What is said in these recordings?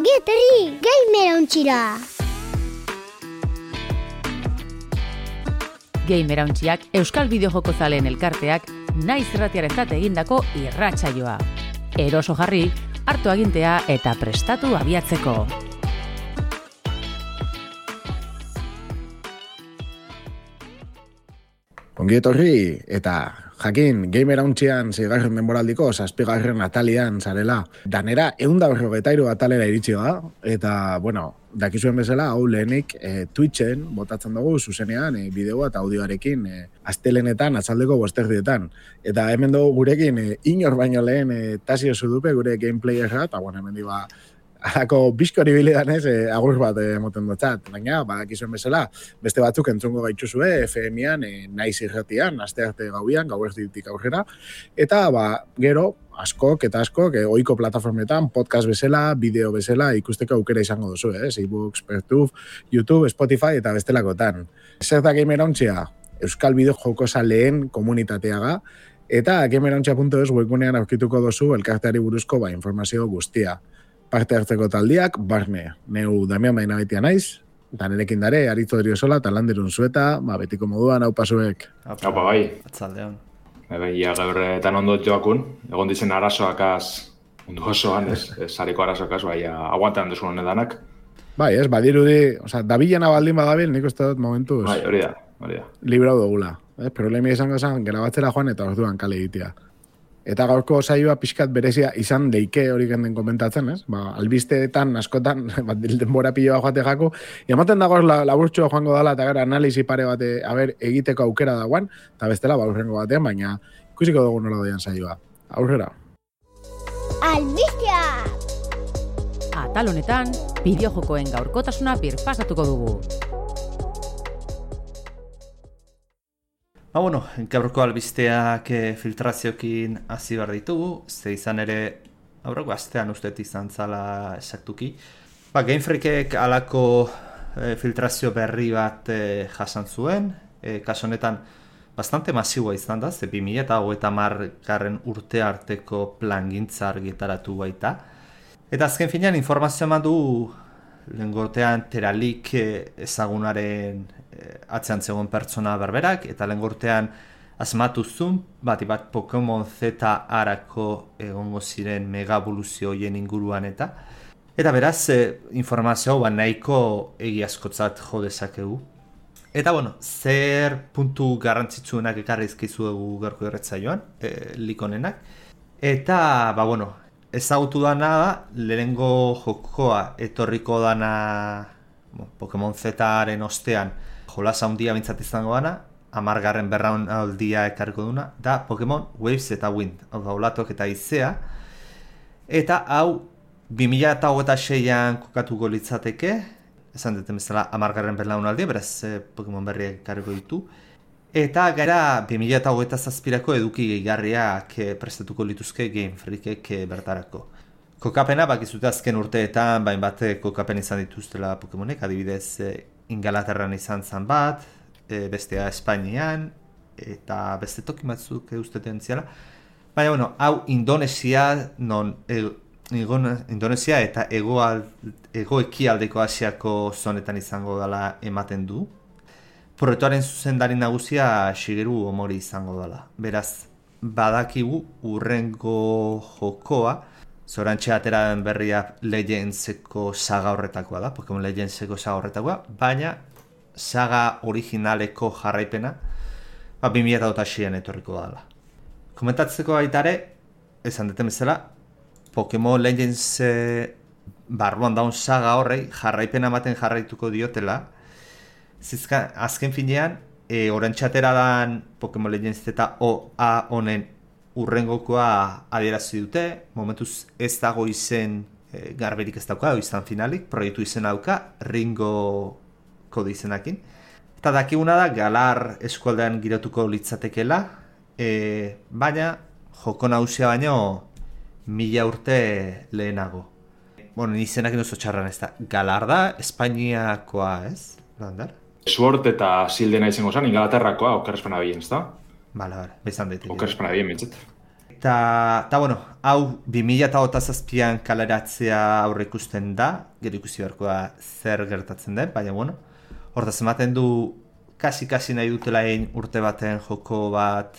Ongi etorri Gamerauntxira! Gamerauntxiak Euskal Bideojoko zaleen elkarteak naiz irratiarentzat egindako irratsaioa. Eroso jarri, hartu agintea eta prestatu abiatzeko. Ongi etorri eta jakin Gamerauntxian 6. denboraldiko 7. atalian zarela. Danera 153 atalera iritsi da eta dakizuen bezala hau lehenik Twitchen botatzen dugu zuzenean bideoa eta audioarekin astelenetan atzaldeko 5:00. Eta hemen dugu gurekin inor baino lehen Tasio Zudupe gure gameplayerra eta hemen diba alako bizkori bilidanez agur bat emoten dutzat. Baina, badakizuen bezala, beste batzuk entzungo gaituzue FM-ean, naiz irratian, astearte gauian, gauerditik aurrera. Eta, gero, askok, ohiko plataformetan, podcast bezala, bideo bezala, ikusteko aukera izango duzu, e-books, Pertuf, YouTube, Spotify eta bestelakotan. Zer da Gamerauntxia? Euskal Bideojoko zaleen komunitateaga, eta gamerauntxia.es webgunean aurkituko duzu elkarteari buruzko informazio guztia. Parte hartzeko taldiak, barne, neu Damian Bainabaitia naiz, eta nerekin dare, Aritzo Driosola, eta Landerun Zueta, betiko moduan, hau pasuek. Haupa, bai. Atzaldean. Ia gaurretan ondo joakun, egon dizen arazoakaz, mundu osoan, sariko arazoakaz, aguantan duzun honedanak. Bai, badirudi, dabilena baldin badabil, nik uste dut momentuz. Bai, hori da. Librau dugula. Problemi izango zen, gerabatzera joan eta orduan kale egitea. Eta gaurko saioa pixkat berezia izan deike hori genden komentatzen, ez? Albisteetan, askotan, denbora piloa joate jako, ematen dagoz laburtxo joango dala eta gara analizi pare bat egiteko aukera dagoan, eta bestela aurrengo batean, baina ikusiko dugu nola doian saioa. Aurrera. Albistea! Atal honetan, bideojokoen gaurkotasuna birpasatuko dugu. Gaurko albisteak filtraziokin hasi behar ditugu, ze izan ere aurreko astean usteet izan zala esaktuki. Game Freakek alako filtrazio berri bat jasan zuen, kaso honetan bastante masiboa izan da, ze 2030 urte arteko plangintza argitaratu baita. Eta azken finean informazioa eman du lehengortean Teralik ezagunaren atzean zegoen pertsona berberak, eta lehengortean asmatu zuen, bat Pokemon Z arako egongo ziren megaboluzio hoien inguruan eta beraz, informazio nahiko egiazkotzat jo dezakegu. Eta zer puntu garrantzitsuenak ekarri izkizuegu gaurko irratsaioan, likonenak. Eta, ezagutu dana da, lehenengo jokoa etorriko dana Pokemon Z-aren ostean jolasa handia bintzat izango dana, 10. berraunaldia ekarriko duna, da Pokemon Waves eta Wind, hau da olatok eta izea. Eta hau 2026an kokatuko litzateke, esan duten bezala 10. berraunaldia, beraz Pokemon berriak ekarriko ditu. Eta gara 2027ko eduki gehigarriak prestatuko lituzke Game Freakek bertarako. Kokapena, bakizute azken urteetan, bat kokapen izan dituztela Pokemonek, adibidez Ingalaterran izan zan bat, bestea Espainian, eta beste toki batzuk usteten ziala. Baina, hau Indonesia eta ego-ekialdeko Asiako zonetan izango dela ematen du. Proiektuaren zuzendari nagusia Shigeru Omori izango dela. Beraz, badakigu urrengo jokoa, zorantxe atera den berria Legendseko saga horretakoa da, Pokemon Legendseko saga horretakoa, baina saga originaleko jarraipena 2026an etorriko dela. Komentatzeko baitare, esan deten bezala, Pokemon Legends barruan daun saga horrei jarraipena ematen jarraituko diotela. Azken finean, orantxatera dan Pokemon Legends eta OA honen urrengokoa adierazi dute, momentuz ez dago izen garberik ez dauka, izan finalik, proiektu izen dauka, Ringo kode izenakin. Eta dakiguna da, Galar eskualdean girotuko litzatekela, baina joko nagusia baino 1000 urte lehenago. Izenakin oso txarran ez da, Galar da, Espainiakoa ez, Lander? Sword eta Shieldena izango zen, Ingalaterrakoa, okerrezpena bien, ez da? Bale, bezan daiteke. Okerrezpena bien, bintzat. Eta, hau 2027an kaleratzea aurre ikusten da, gero ikusi beharko da zer gertatzen den, baina bueno, hortaz ematen du kasi nahi dutela urte baten joko bat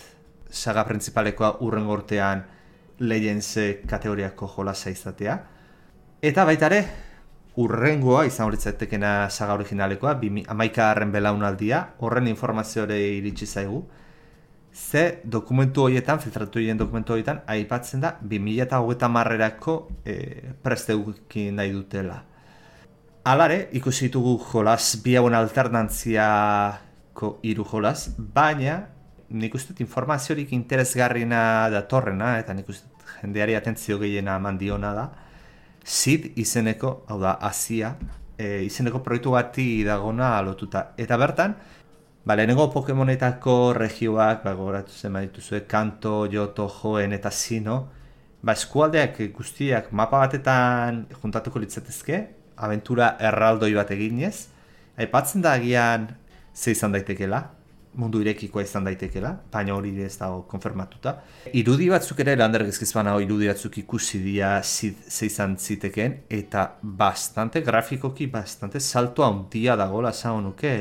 saga printzipalekoa urrengo urtean Legends kategoriako jolasa izatea. Eta baita ere, urrengoa izan horitzatekena saga originalekoa, 11. belaunaldia, horren informaziore iritsi zaigu. Ze dokumentu horietan, filtratu horien dokumentu horietan, aipatzen da 2030erako presteukin nahi dutela. Alare, ikusi ditugu jolas, bi hauen alternantziako 3 jolas, baina nik uste informaziorik interesgarriena datorrena, eta nik uste jendeari atentzio gehiena mandiona da, Sid izeneko, hau da, Asia, izeneko proiektu bati dagona lotuta. Eta bertan, lehenengo Pokemonetako regioak, gogoratu zen badituzue, Kanto, Johto, Joen eta Sino, eskualdeak guztiak mapa batetan juntatuko litzatezke, abentura erraldoi bat eginez, aipatzen da agian ze izan daitekela, mundu irekikoa izan daitekela, baina hori ez dago konfirmatuta. Irudi batzuk ere, Lander gezkizbana irudi batzuk ikusi dira ze izan zitekeen, eta bastante grafikoki, bastante salto handia dagoela esan nuke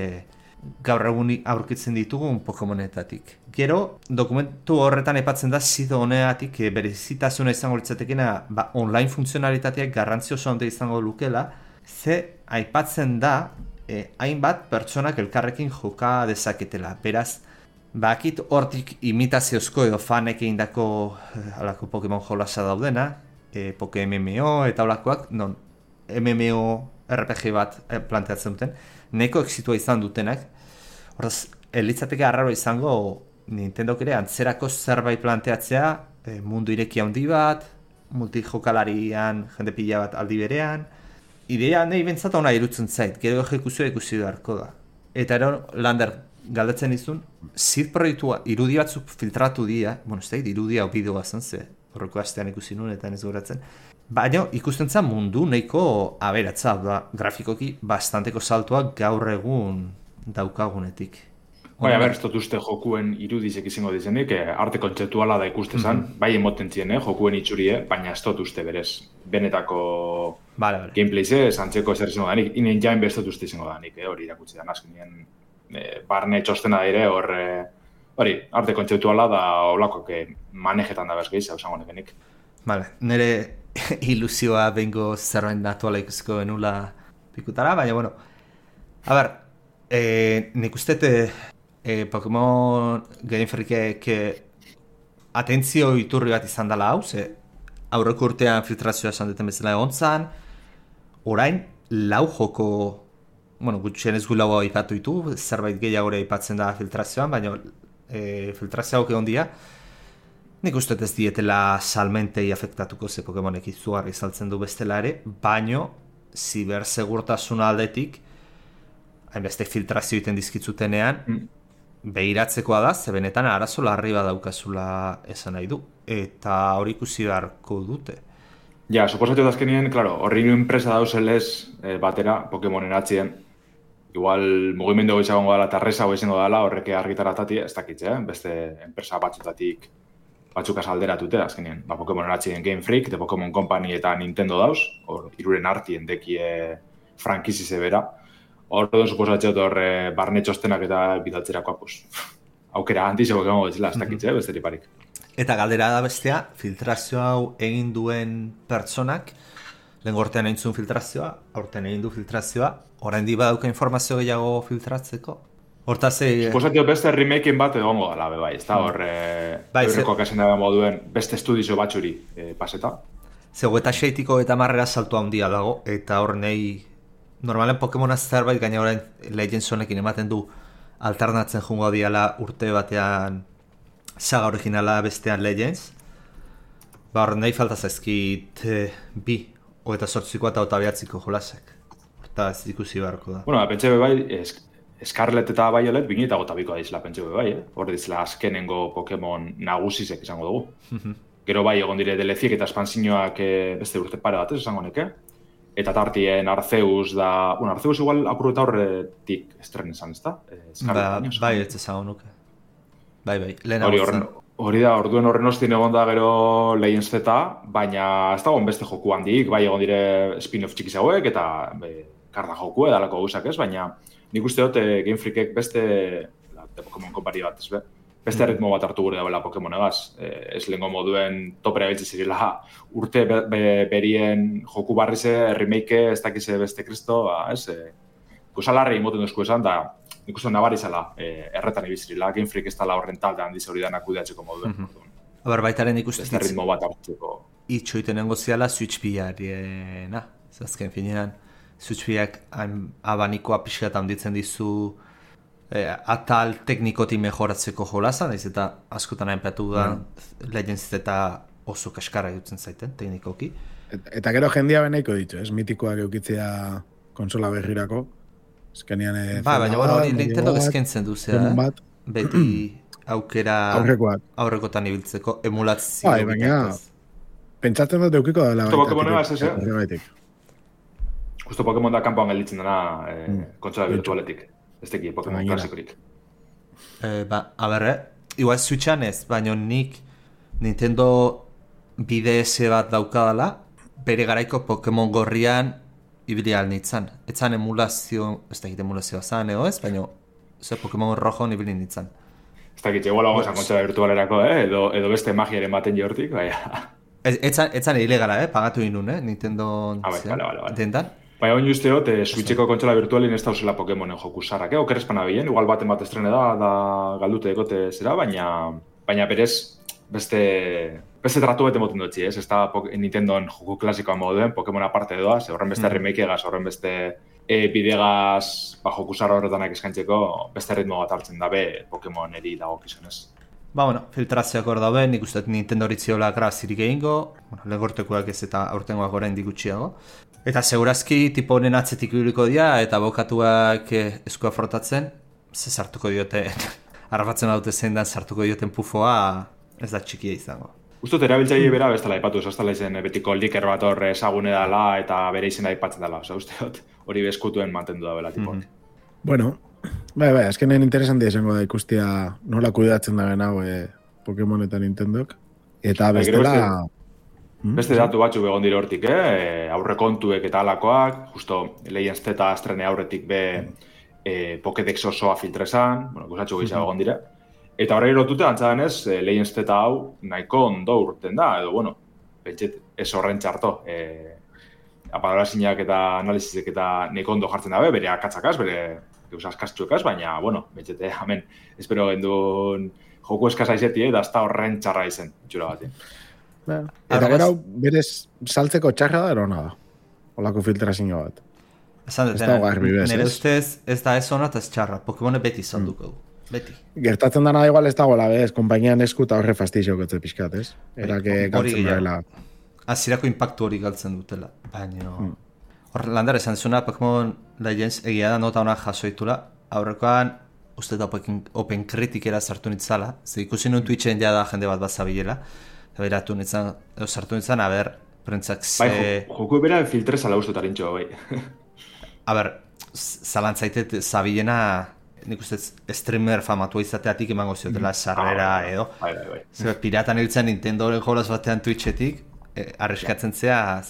gaur egun aurkitzen ditugun Pokemonetatik. Gero, dokumentu horretan aipatzen da zido honeatik berezitasuna izango litzatekena online funtzionalitateak garrantzi oso handia izango lukela, ze aipatzen da hainbat pertsonak elkarrekin joka dezaketela. Beraz, bakit hortik imitaziozko edo fanek egindako alako Pokemon jolasa daudena, MMO eta olakoak, non MMO RPG bat planteatzen duten, neko exitua izan dutenak. Hortaz, elitzateke arraro izango Nintendok ere antzerako zerbait planteatzea, mundu ireki handi bat, multijokalarian jende pila bat aldi berean. Idea nahi bentsat hona irutzen zait, gero ejekuzioa ikusi beharko da. Eta ero, Lander, galdetzen izun, Sid proiektua irudi batzuk filtratu dira, ez da, irudia o bideoa zen ze, horreko astean ikusi nuen eta ez goratzen, baina ikusten zen mundu nahiko aberatza, grafikoki bastanteko saltoak gaur egun daukagunetik. Bai, ez dut uste jokuen irudizek izango dizenik, arte kontzeptuala da ikustezan, bai emoten zien, jokuen itxurie, baina ez dut uste berez, benetako gameplayze, zantzeko ezer izango danik, inen jain ez dut uste izango danik, hori irakutsi da, azkenien barne txostena dire, hori, arte kontzeptuala da olakoak manejetan da bezgeiz, hau zango nekenik. Nire ilusioa bengo zerbait natuala ikusiko benula pikutara, baina, bueno, a ber, nik ustete Pokemon Game Freakek atentzio iturri bat izan dela hau, ze aurreko urtean filtrazioa esan duten bezala egon zan, orain lau joko, gutxien ez gulagoa ipatu ditu, zerbait gehiagore ipatzen da filtrazioan, baina filtrazioak egon dira, nik uste ez dietela salmentei afektatuko, ze Pokemonek izugarri saltzen du bestela ere, baino zibersegurtasuna aldetik, hainbeste filtrazio iten dizkitzutenean, behiratzekoa da, ze benetan arazo larri bat daukazula esan nahi du, eta hori ikusi beharko dute. Ja, suposatu da azkenien, klaro, horri enpresa dauzelez batera Pokemonen atzien, igual mugimendu izango dela eta resa izango dela horreke argitaratati, ez dakitze, beste enpresa batzutatik batzukaz alderatute, azkenien, Pokemonen atzien Game Freak, The Pokemon Company eta Nintendo dauz, hor iruren artien dekie frankizize bera, Horredo, suposatzea horre barne txostenak eta bidaltzerakoa, aukera antizeko egongo bezala, ez dakitze, besterik barik. Eta galdera da bestea, filtrazio hau egin duen pertsonak, lehen gortean egin zuen filtrazioa, aurten egin du filtrazioa, orain di badauka informazio gehiago filtratzeko? Hortaz suposatzea beste remaken bat egongo dela, bai, ez da hor eurrekoak esan dago moduen beste estudizo batxuri paseta. Zego eta 6-tiko eta marrera salto handia dago, eta hor nahi normalen Pokemon zerbait gaina orain Legends honekin ematen du alternatzen jungo diala urte batean saga originala bestean Legends. Hor nahi falta zaizkit 2, 28ko eta 29ko jolasak. Hortaz ikusi beharko da. Bueno, pentsa bai, Scarlet eta Violet 2022koa dizela pentsa bai, hor dizela azkenengo Pokemon nagusizek izango dugu. Gero bai egon dire DLC-ek eta espansioak beste urte pare batez esango neke. Eta tartien Arceus da... Arceus igual apuru eta horretik estren esan, ez da? Bai, ez ezagun nuke. Bai, lehen hori horren Hori da, orduen horren ostien egon da gero Legends Z, baina ez dagoen beste joku handik, bai egon dire spin-off txikiz hauek, eta karda joku edalako gauzak ez, baina nik uste dut Game Freakek beste Pokemon konpari bat, ez be? Beste ritmo bat hartu gure dagoela Pokemonegaz. Ez lehenko moduen topera biltze zirela urte berien joku barrize, remake, ez dakize beste kristo, ez? Kusalarri imoten duzku esan, da nik uste nabari zela erretan ibizirila, Game Freak ez dala horren talde handiz hori danak kudeatzeko moduen. Baitaren ikusten beste ritmo bat hartzeko. Itxoiten nengoziala Switch pilariena. Azken finean, Switch pilak abanikoa pixkat handitzen dizu atal teknikotik mejoratzeko jolazan, ez eta askotan hainpeatu da Legends eta oso kaskarra dutzen zaiten, teknikoki. Eta gero jendia beneiko ditu, ez? Mitikoak eukitzea konsola berrirako. Eskenean baina hori Nintendo eskentzen duzea, beti aukera aurrekotan ibiltzeko emulatzio. Baina, pentsatzen dut eukiko dela. Justo Pokemonegaz, ez? Justo Pokemon da kanpoan gelditzen dena kontsola virtualetik. Ez teki, Pokemon klasikorik. Igual Switchan ez, baina nik Nintendo BDS bat daukadala, bere garaiko Pokemon gorrian ibili alnitzan. Etzan emulazio, ez dakit emulazioa zan, ez? Baina Pokemon rojo ibili nintzan. Ez dakit, egoela gozan kontsola virtualerako, edo beste magiaren baten jortik, baina. Etzan ilegala, pagatu inun, Nintendo dendan. Baina hori usteot, Switcheko kontsola virtualin ez dauzela Pokemonen joku sarrak, okerespan abien, igual baten bat estrene da galdute dekote zera, baina berez beste tratu bete moten dutzi, ez da Nintendoen joku klasikoa moduen, Pokemon aparte doaz, horren beste remake egaz, horren beste bidegaz joku sarra horretanak eskaintzeko, beste ritmo bat hartzen dabe Pokemon eri dago kizunez. Filtrazioak hor daude, nik uste Nintendo horitziola grazirik egingo, legortekoak ez eta aurtengoak orain digutxiago. Eta segurazki tipo honen atzetik ibiliko dira eta bokatuak eskua frotatzen, ze sartuko diote, harrapatzen daute zein dan sartuko dioten pufoa, ez da txikia izango. Uztot, erabiltzaile bera bestela aipatu, ez da izen betiko liker bat hor ezagune dela eta bere izena aipatzen dela, usteot, hori bezkutuen mantendu da bela tipok. Bueno, bai, azkenen interesantia izango da ikustia nola kudeatzen da hau Pokemon eta Nintendok. Eta bestela... Beste datu batzuk egon dire hortik, aurrekontuek eta alakoak, justo Legends Z estrene aurretik Pokédex osoa filtrezan, gozatxo gehiago egon dire. Eta horrei lotute antzadenez, Legends Z hau nahiko ondo urten da, edo, pentset ez horren txarto. Aparazinak eta analizizek eta nahiko ondo jartzen dabe, bere akatzakaz, bere askaztxuekaz, baina, pentsete, hemen, espero gendun joku eskasa izetie, da ez da horren txarra izen, itxura bat. Eta gero berez saltzeko txarra da erona da. Olako filtrazio bat. Nire ustez ez da ez ona eta ez txarra. Pokemone beti zanduko du. Beti. Gertatzen dana igual ez dagoela, bez? Kompainian esku eta horre fastizio gotze pixkat, ez? Erake galtzen daela. Azirako impactu hori galtzen dutela. Baina... Hor, landar esan zuna, Pokemon Legends egia da nota honak jasoitula. Aurrekoan, uste da Open Criticera sartu nitzala. Ze ikusi nun Twitchen ja da jende bat bazabilela. Beratu nintzen, sartu nintzen, prentzak ze... Joku bera filtrezala uste tarintxo, bai. Zalantzaitet zabilena, nik uste streamer famatua izateatik emango ziotela sarrera edo. Bai. Piratan hiltzen Nintendoren jolaz batean Twitchetik, arriskatzen zea.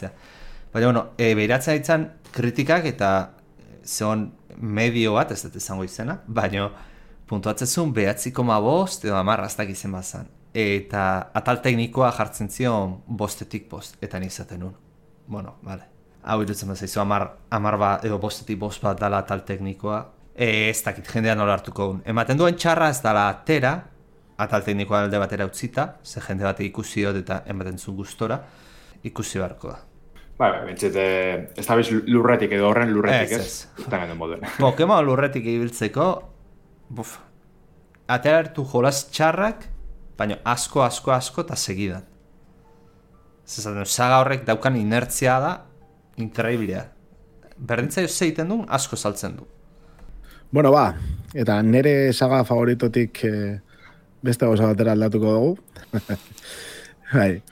Baina, behiratzen ditzen kritikak eta zeon medio bat, ez dut izango izena, baina puntuatzezun 9,5 edo 10 aztak izen bazan. Eta atal teknikoa jartzen zion 5-etik 5, eta nizaten nun. Vale. Hau irutzen bezaizu, 10 bat, edo 5-etik 5 bat dala atal teknikoa. Ez dakit, jendea nola hartuko duen. Ematen duen txarra ez dala atera, atal teknikoa alde batera utzita, ze jende bate ikusi dut eta ematen zuen gustora, ikusi beharko da. Bai, bentsete, ez da biz lurretik edo horren lurretik, ez? Pokemon lurretik ibiltzeko, atera hartu jolaz txarrak, baina asko eta segidan. Zezaten, saga horrek daukan inertzia da, inkreiblea. Berdintzaio zeiten du, asko saltzen du. Bueno, eta nire saga favoritotik beste gauza batera aldatuko dugu. Bai.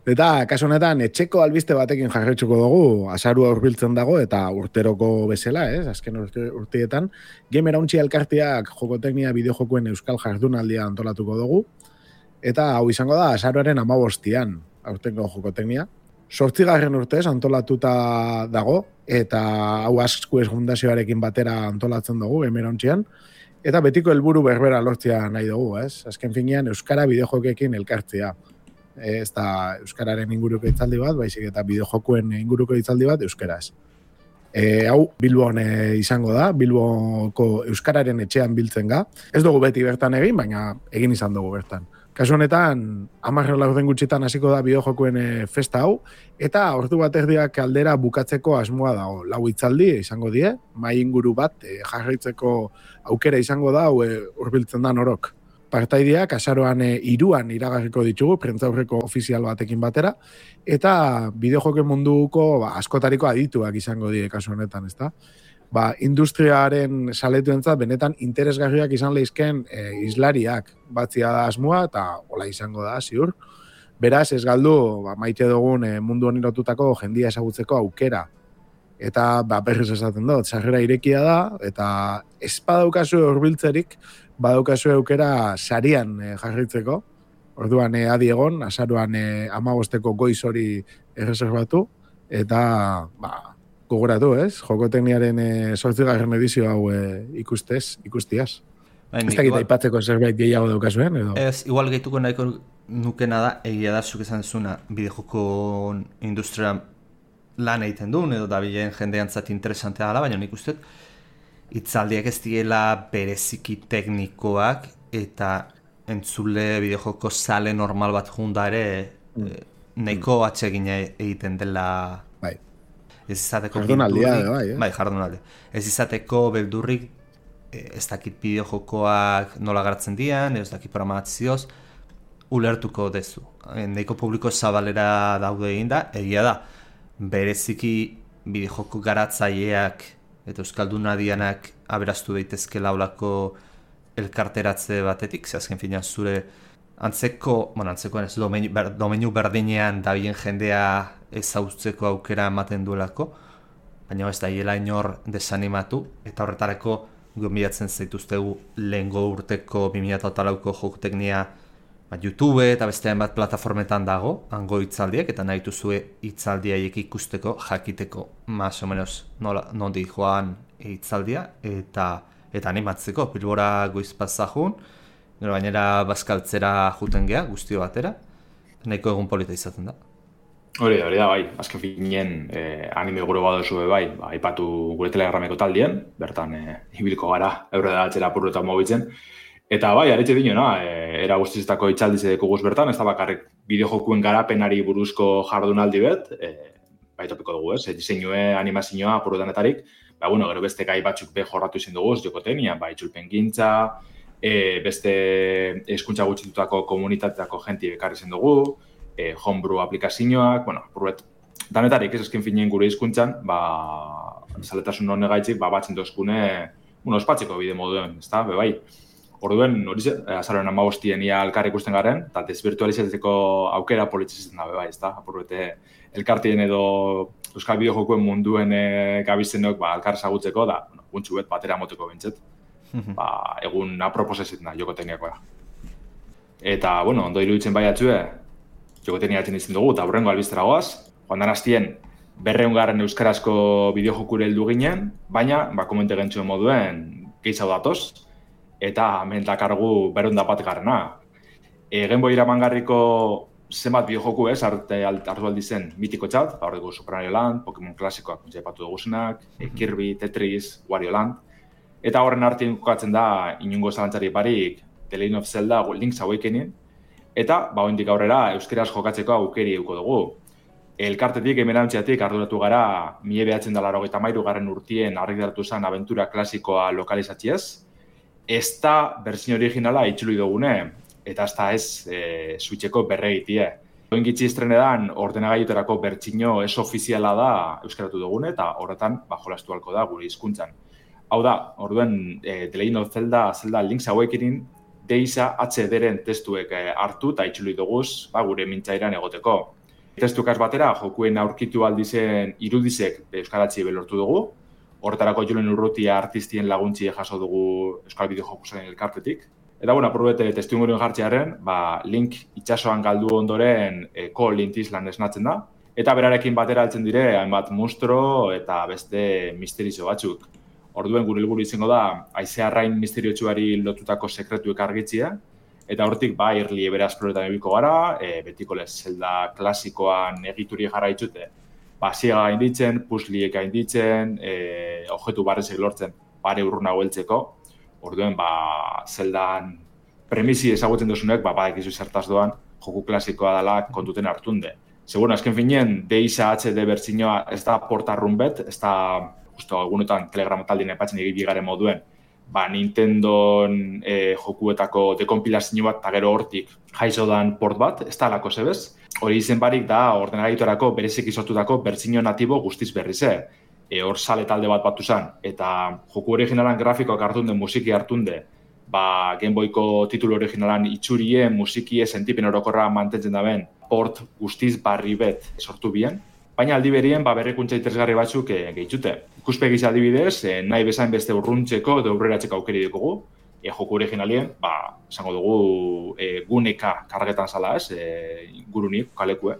Eta, kasu honetan, etxeko albiste batekin jarraitzuko dugu, azarua hurbiltzen dago, eta urteroko bezala, azken urteetan, Game Erauntzi elkarteak jokoteknia bideojokuen euskal jardunaldia antolatuko dugu. eta hau izango da azaroaren 15an, aurtengo jokoteknia. 8. urtez antolatuta dago, eta hau Asquez Fundazioarekin batera antolatzen dugu, emerauntzian, eta betiko helburu berbera lortzea nahi dugu, ez? Azken finean, Euskara bideojokekin elkartzea. Ez da Euskararen inguruko hitzaldi bat, baizik eta bideojokuen inguruko hitzaldi bat euskaraz. Hau Bilbon izango da, Bilboko Euskararen etxean biltzen ga. Ez dugu beti bertan egin, baina egin izan dugu bertan. Kasu honetan, 10 laurden gutxitan hasiko da bideojokuen festa hau, eta ordu bat erdiak aldera bukatzeko asmoa dago. 4 hitzaldi izango die, mahai inguru bat jarraitzeko aukera izango da, hurbiltzen da norok. Partaideak azaroan 3an iragarriko ditugu, prentzaurreko ofizial batekin batera, eta bideojoken munduko askotariko adituak izango die kasu honetan, ezta? Industriaren saletuentzat benetan interesgarriak izan lehizken islariak batzia da asmoa, eta hola izango da, ziur. Beraz, ez galdu, maite dugun mundu honi lotutako jendia ezagutzeko aukera. Eta berriz esaten dut, sarrera irekia da, eta ez badaukazu hurbiltzerik, badaukazu aukera sarian jarraitzeko. Orduan adi egon, azaroan 15ko goiz hori erreserbatu, eta gogoratu, ez? Jokotekniaren 8. edizio hau ikustiaz. Ez dakit aipatzeko zerbait gehiago daukazuen, edo? Ez, igual gehituko nahiko nukena da, egia da, zuk esan zuna, bideojoko industria lan egiten duen, edo da bilen jendeantzat interesantea dela, baina nik uste, hitzaldiak ez diela bereziki teknikoak, eta entzule bideojoko sale normal bat junda ere, nahiko atsegina egiten dela... Ez izateko jardunaldia, jardunaldia. Ez izateko beldurrik, ez dakit bideojokoak nola garatzen dian, ez dakit programazioz, ulertuko dezu. Nahiko publiko zabalera daude egin da, egia da, bereziki bideojoko garatzaileak eta euskaldunadianak aberaztu daitezke laulako elkarteratze batetik, ze azken finean zure antzekoen ez domeinu berdinean dabilen jendea ezagutzeko aukera ematen duelako, baina ez da hiela inor desanimatu, eta horretarako gonbidatzen zaituztegu lehengo urteko 2008ko jokoteknia YouTube eta beste hainbat plataformetan dago, hango hitzaldiak, eta nahi duzue hitzaldiaiek ikusteko, jakiteko, más o menos nondi joan hitzaldia, eta animatzeko, Bilbora goiz pasajun, gero gainera bazkaltzera juten gea, guztio batera, nahiko egun polita izaten da. Hori da, bai, azken finien anime gure badozu bai, aipatu gure telegrameko taldien, bertan ibiliko gara, eurre da atxera purretan mobitzen, eta bai, aretxe dinona, era guztizetako itxaldiz edeko guz bertan, ez da bakarrik bideojokuen garapenari buruzko jardunaldi bet, bai topiko dugu ez, diseinue, animazioa, purretanetarik, gero beste gai batzuk be jorratu izin dugu, jokotenia, bai txulpen gintza, beste hezkuntza gutxitutako komunitateko jenti bekarri zen dugu, homebrew aplikazioak, danetarik ez eskin finien gure hizkuntzan, zaletasun honegaitzik, batzen dozkune, ospatzeko bide moduen, ez da, bai. Orduen, hori ze, azaroen 15 ia elkar ikusten garen, eta desvirtualizatzeko aukera politzitzen da, bai, ez da, apurrete elkartien edo euskal bideojokuen munduen gabizenok elkar ezagutzeko, da, guntxu bet batera moteko bintzet, egun aproposezetan da, jokotekniakoa. Eta, ondo iruditzen bai atzue, jokoteknia atzen izan dugu, eta burrengo albiztera goaz, joan dan hastien 200 euskarazko bideojokure heldu ginen, baina, komente gentzuen moduen, gehiago datoz, eta hemen dakargu 201. Genboi iramangarriko zenbat bideojoku ez, hartu aldi zen mitiko txat, hor dugu Super Mario Land, Pokemon klasikoak, jaipatu duguzenak, Kirby, Tetris, Wario Land, eta horren artien kokatzen da, inungo zalantzari barik, The Legend of Zelda, Link's Awakening, eta, oindik aurrera, euskeraz jokatzeko aukeri euko dugu. Elkartetik, emerantziatik, arduratu gara, 1983 urtien argitaratu zen abentura klasikoa lokalizatziez, ez da berzin originala itxului dugune, eta ez da ez switcheko berregitie. Oingitzi estrenedan, ordenagailuterako bertsino ez ofiziala da euskaratu dugune, eta horretan, jolastu halko da gure hizkuntzan. Hau da, orduen, The Legend of Zelda Link's Awakening, Deisa HD-ren testuek hartu eta itxului duguz gure mintzairan egoteko. Testukaz batera, jokuen aurkitu aldizen irudizek euskaratzi belortu dugu. Horretarako Julen Urrutia artistien laguntzi jaso dugu Euskal Bideojokusen elkartetik. Eta, bueno, aprobete testimorioen jartzearen, link itsasoan galdu ondoren Link Island esnatzen da. Eta berarekin batera altzen dire, hainbat monstro eta beste misterizo batzuk. Orduen gure helburu izango da, haize arrain misteriotsuari lotutako sekretuek argitzia. Eta hortik, irli ebera esploretan ebiko gara, betiko Zelda klasikoan egituri jarraitzute. Ziega gainditzen, pusliek gainditzen, objektu barrezek lortzen, pare urrunago heltzeko. Orduen, Zeldan premisi ezagutzen duzunek, badakizu zertaz doan, joku klasikoa dela kontuten hartunde. Seguro, azken finean, DISA HD bertsioa ez da portarrun bet, ez da, justo, egunetan Telegram taldien epatzen egibigaren moduen, Nintendon jokuetako dekompilazio bat, eta gero hortik jaizo dan port bat, ez da alako zebez. Hori izen barik da, ordenagaitorako berezik izotutako bertsio natibo guztiz berrize. Hor sale talde bat batu zen, eta joku originalan grafikoak hartunde, musiki hartunde, Game Boyko titulu originalan itxurie, musikie, sentipen orokorra mantentzen daben, port guztiz barri bet sortu bien. Baina aldi berien, berrikuntza interesgarri batzuk gehitzute. Ikuspegiz adibidez, nahi bezain beste urruntzeko edo aurreratzeko aukeri dugu. Joku originalien, esango dugu guneka kargetan zala ez, gurunik, kalekue.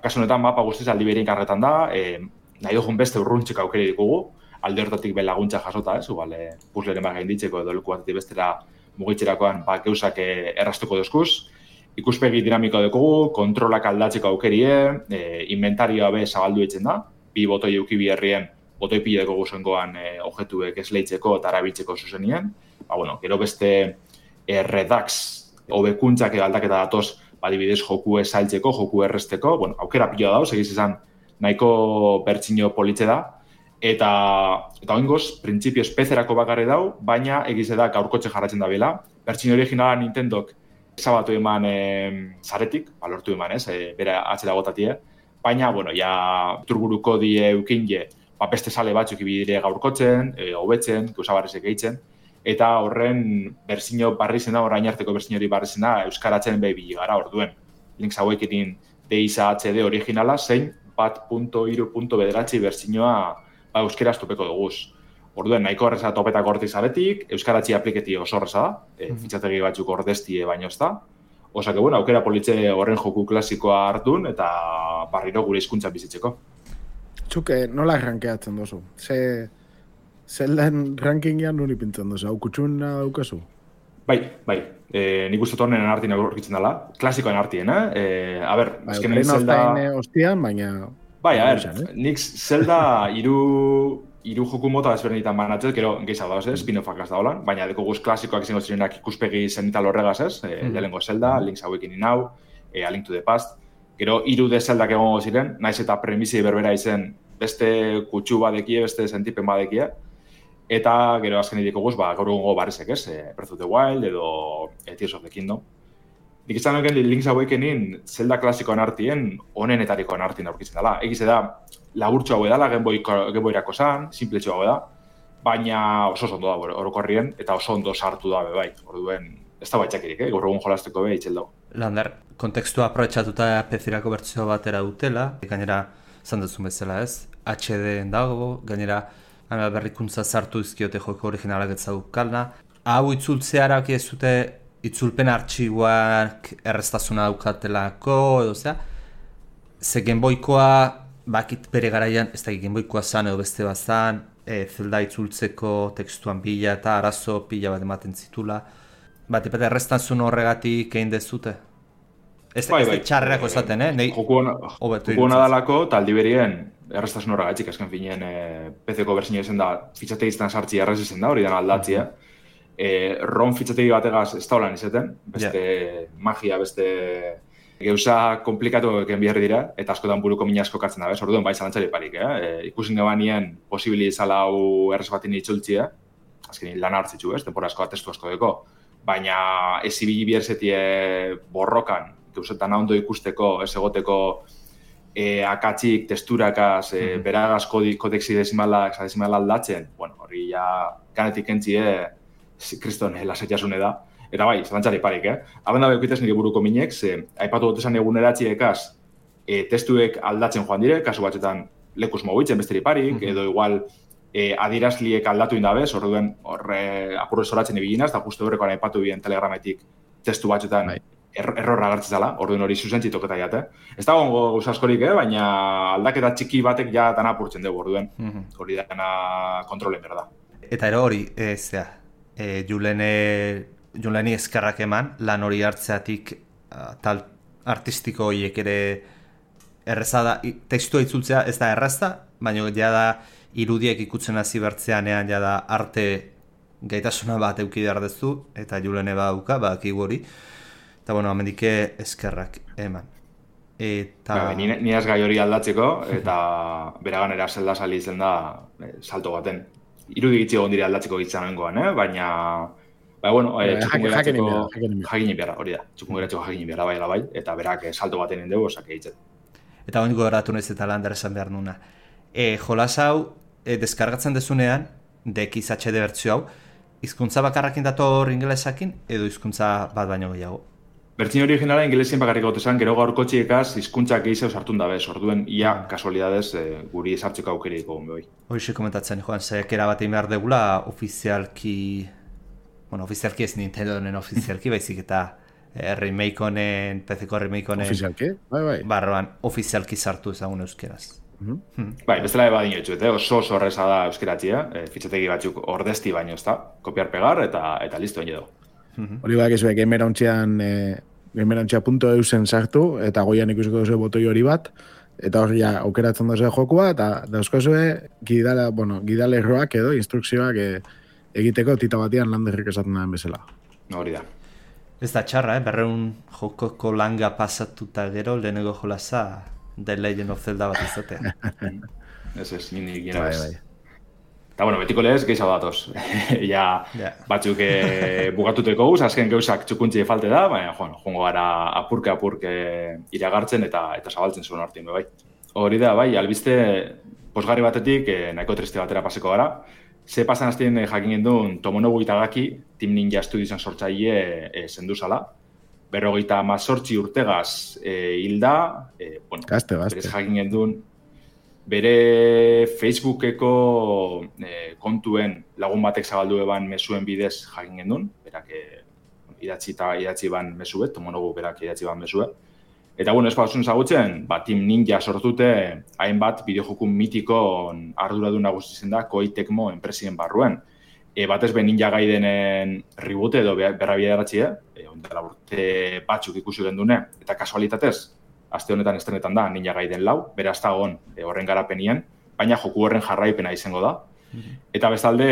Kasu honetan, mapa guztiz aldi berien kargetan da, nahi dugun beste urruntzeko aukeri dugu. Alde hortatik laguntza jasota ez, puzzleren gainditzeko edo leku batetik bestera mugitzerakoan gauzak erraztuko dozkuz. Ikuspegi dinamiko dugu, kontrolak aldatzeko aukerie, inventarioa be zabaldu eitzen da, 2 botoi euki biherrien, botoi pileko guzengoan objektuek esleitzeko eta arabiltzeko zuzenien. Gero beste redux, hobekuntzak aldaketa datoz, adibidez joku esaltzeko, joku erresteko, aukera pila dauz, egiz izan nahiko bertsio politze da, eta oingoz, printzipio espezerako bakarri dau, baina egiz da gaurkotxe jarratzen da bela. Bertsio originala Nintendok zabatu eman zaretik, lortu eman ez, bera atzera gotatie, baina, turburuko die eukinje, beste sale batzuk ibidire gaurkotzen, hobetzen, gauzabarrezek gehitzen, eta horren bertsio barri zena, orain arteko bertsio hori barri zena, euskaratzen behi gara orduen. Links hauekin DISA HD originala, zein 1.3.bederatzi bertsioa euskeraz topeko duguz. Orduen, nahiko horreza topetako hortik zaretik, euskaratzi apliketi oso horreza da, fitxategi batzuk ordeztie baino ez da. Osake, aukera politze horren joku klasikoa hartun eta barriro gure hizkuntza bizitzeko. Txuke, nola rankeatzen dozu? Zeldan rankingean nuri pintzen dozu, hau kutxuna daukazu? Bai. Nik uste tornen artien aurkitzen dela, klasikoen artien, azken Zelda... Ostian, baina... Nik Zelda hiru joku mota ezberdinetan banatzez, gero gehiago dauz ez, spin-offak az da holan, baina deko guz klasikoak izango zirenak ikuspegi zenital horregaz ez, lehenengo Zelda, Link's Awakening Now, A Link to the Past, gero 3D Zeldak egongo ziren, naiz eta premisi berbera izen beste kutsu badekie, beste sentipen badekie, eta gero azken ideko guz, gaur egongo barrizek ez, Breath of the Wild edo Tears of the Kingdom. Nik izan duken Link's Awakening Zelda klasikoan artien, honenetarikoan artien aurkitzen dela. Egiz da, laburtxo hau edala, Game Boyrako zan, simpletxo hau eda, baina oso ondo da orokorrien, eta oso ondo sartu da bai. Orduen, ez da baitxakirik, gaur egun jolasteko itxel dago. Lander, kontekstua aprobetxatuta PC-rako bertsio batera dutela, gainera, zan duzun bezala ez, HD dago, gainera, berrikuntza sartu izkiote joko originalak etzadukalna. Hau itzultzearak ez dute itzulpen artxiboak erreztasuna daukatelako, edo ze Game Boykoa, bakit bere garaian, ez da Game Boykoa zan edo beste bat zan, Zelda itzultzeko tekstuan pila eta arazo pila bat ematen zitula. Bat erreztasun horregatik egin dezute? Ez txarrerako esaten, Joku hona dalako, taldi berien erreztasun horregatik, azken finean PC-ko berzio ezen da, fitxategiztan sartzi errez ezen da, hori dan aldatzia. ROM fitxategi bategaz ez da holan izaten, beste magia, beste geuza komplikatu eken biherri dira, eta askotan buruko mina asko kartzen da, orduan bai zalantzari parik, ikusin gabanien posibili izala hau errez batin itzultzia, azkenin lan hartzitzu, tempora asko, testu asko deko, baina ez ibili bierzetie borrokan, geuzetan ondo ikusteko, ez egoteko akatzik, testurakaz, beragaz kodexi dezimalak aldatzen, hori ja ganetik entzie, kriston lasetiasune da. Eta bai, zalantzari parik, Haben da beukitez nire buruko minek, aipatu dut esan eguneratziekaz testuek aldatzen joan dire, kasu batzetan lekuz mogitzen besteri parik, edo igual adierazliek aldatu indabez, orduen apurre zoratzen ibiginaz, eta justu horrekoan aipatu bien telegrametik testu batzutan errorra agertzen zala, orduen hori zuzentzi toketa jate. Ez dago gauza askorik, baina aldaketa txiki batek ja dana apurtzen dugu, orduen hori dana kontrolen behar da. Eta ero hori, Juleni eskerrak eman, lan hori hartzeatik tal artistiko horiek ere errezada, tekstua itzultzea ez da errazta, baina ja da irudiek ikutzen hasi bertzeanean ja da arte gaitasuna bat euki behar dezu, eta Julene badauka, badakigu hori. Eta bueno, amendike eskerrak eman. Eta... Ni ez gai hori aldatzeko, eta beraganera zelda sali izen da salto baten. Irudik itzi egon dire aldatzeko gitzamengoan, baina... bueno, jakinen behar, hori da. Txukun geratzeko jakinen behar, bai, eta berak salto baten indegu, osak egitzen. Eta hori goratu nez eta lan esan behar nuna. Jolas hau, deskargatzen dezunean, DXHD bertzio hau, hizkuntza bakarrakin dator ingelesakin, edo hizkuntza bat baino gehiago? Bertzin originala ingelesien bakarrik gotezan, gero gaurko txiekaz hizkuntzak gehiago sartun da bez, orduen ia kasualidadez guri esartzeko aukerik egon behoi. Horixe komentatzen, joan, zekera bat egin behar degula ofizialki, bueno, ofizialki ez Nintendonen ofizialki, baizik eta remake honen, PC-ko remake honen... Ofizialki? Bai. Barroan, ofizialki sartu ezagun euskeraz. Bai, bestela eba dinotxu, oso horreza da euskeratzia, fitxategi batzuk ordezti baino ez da, kopiar pegar eta listo egin edo. Hori bak ezue, gamerauntxea.eusen sartu, eta goian ikusiko duzu botoi hori bat, eta hori ja aukeratzen duzu jokua, eta dauzkozue gidale erroak edo instrukzioak egiteko tita batian landerrik esaten den bezala. Hori da. Ez da txarra, berreun jokoko langa pasatuta gero, lehenengo jolasa The Legend of Zelda bat izatea. Ez, nini gira bez. Eta, bueno, betiko lehez, gehiago datoz. Batzuk bugatuteko guz, azken gauzak txukuntzi falte da, baina, jongo gara apurke iragartzen eta zabaltzen zuen hartin, bai. Hori da, bai, albiste, posgarri batetik, nahiko triste batera paseko gara. Ze pasan aztien jakin gendun Tomonobu Itagaki, Team Ninja Studiosen sortzaile zenduzala. 58 urtegaz hilda, Gazte. Berez jakin gendun, bere Facebookeko kontuen lagun batek zabaldu eban mesuen bidez jakin gendun, berak idatzi ban mesuet, Tomonobu berak idatzi ban mesuet. Eta, bueno, ez batzun zagutzen, Team Ninja sortute hainbat bideojokun mitikon arduradun nagusi zen da Koei Tecmo enpresien barruen. Batez be Ninja Gaidenen reboot edo berra bideratxia, ondela urte batzuk ikusi gendune, eta kasualitatez, aste honetan estrenetan da Ninja Gaiden 4, beraz dagoen horren garapenien, baina joku horren jarraipena izango da. Eta bestalde,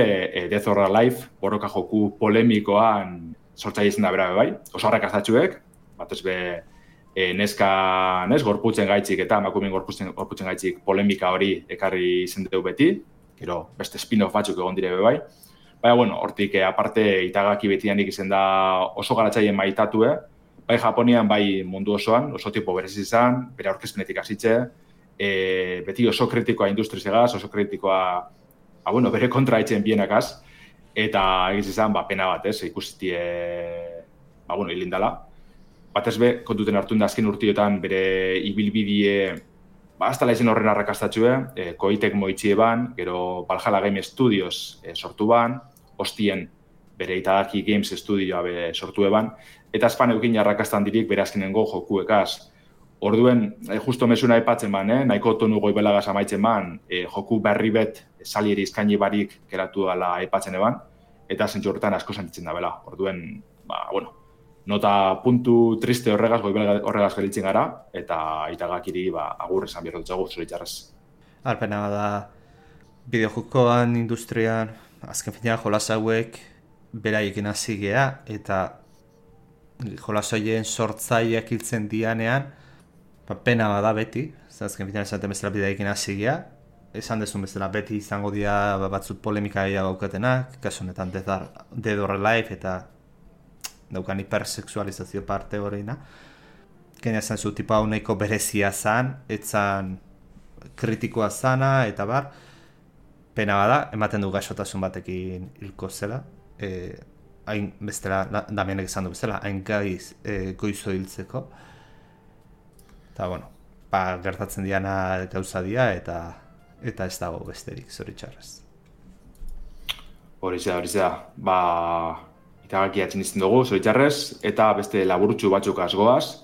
Death or Alive, borroka joku polemikoan sortzaile izan da bera bai, oso arrakastatxuek, batez be gorputzen gaitzik eta emakumeen gorputzen gaitzik polemika hori ekarri izen dugu beti, gero beste spin-off batzuk egon dire bai. Baina, bueno, hortik aparte Itagaki betianik izen da oso garatzaien maitatue, bai Japonian, bai mundu osoan, oso tipo berez izan, bere aurkezpenetik hasitze, beti oso kritikoa industrizegaz, oso kritikoa, bere kontra etxen bienakaz, eta egiz izan, pena bat, ikusitie, hilindala. Batez be, kontuten hartu da azken urtiotan bere ibilbidie, aztala izan horren arrakastatxue, Koei Tecmo itxie ban, gero Valhalla Game Studios sortu ban, hostien bere Itagaki Games Studioa sortu eban, eta azpan eukin arrakastan dirik bere azkenengo jokuekaz. Orduen, justo mesuna aipatzen ban, nahiko tonu goibelagaz amaitzen ban, joku berri bet salieri izkaini barik geratu dela aipatzen eban, eta zentzu horretan asko sentitzen da bela. Orduen, nota puntu triste horregaz gelitzen gara, eta Itagakiri agur esan behar dutzagu zoritxarrez. Arpena da, bideojokoan industrian, azken finean jolas hauek beraiekin hasi gea, eta jolas horien sortzaileak hiltzen dianean, pena bada beti, azken finean esaten bezala beraiekin hasi gea, esan dezun bezala beti izango dira batzut polemika gaukatenak, kasu honetan Dead or Alive eta daukan hipersexualizazio parte horreina. Gaina esan zu, tipa hau nahiko berezia zan, etzan kritikoa zana, eta bar, pena bada, ematen du gaixotasun batekin hilko zela, hain bestela, Damienek esan du bezala, hain goizo hiltzeko. Eta, gertatzen diana gauza dia, eta ez dago besterik, zoritxarrez. Hori da. Itagaki atzen izten dugu, zoritxarrez, eta beste laburutxu batzuk azgoaz.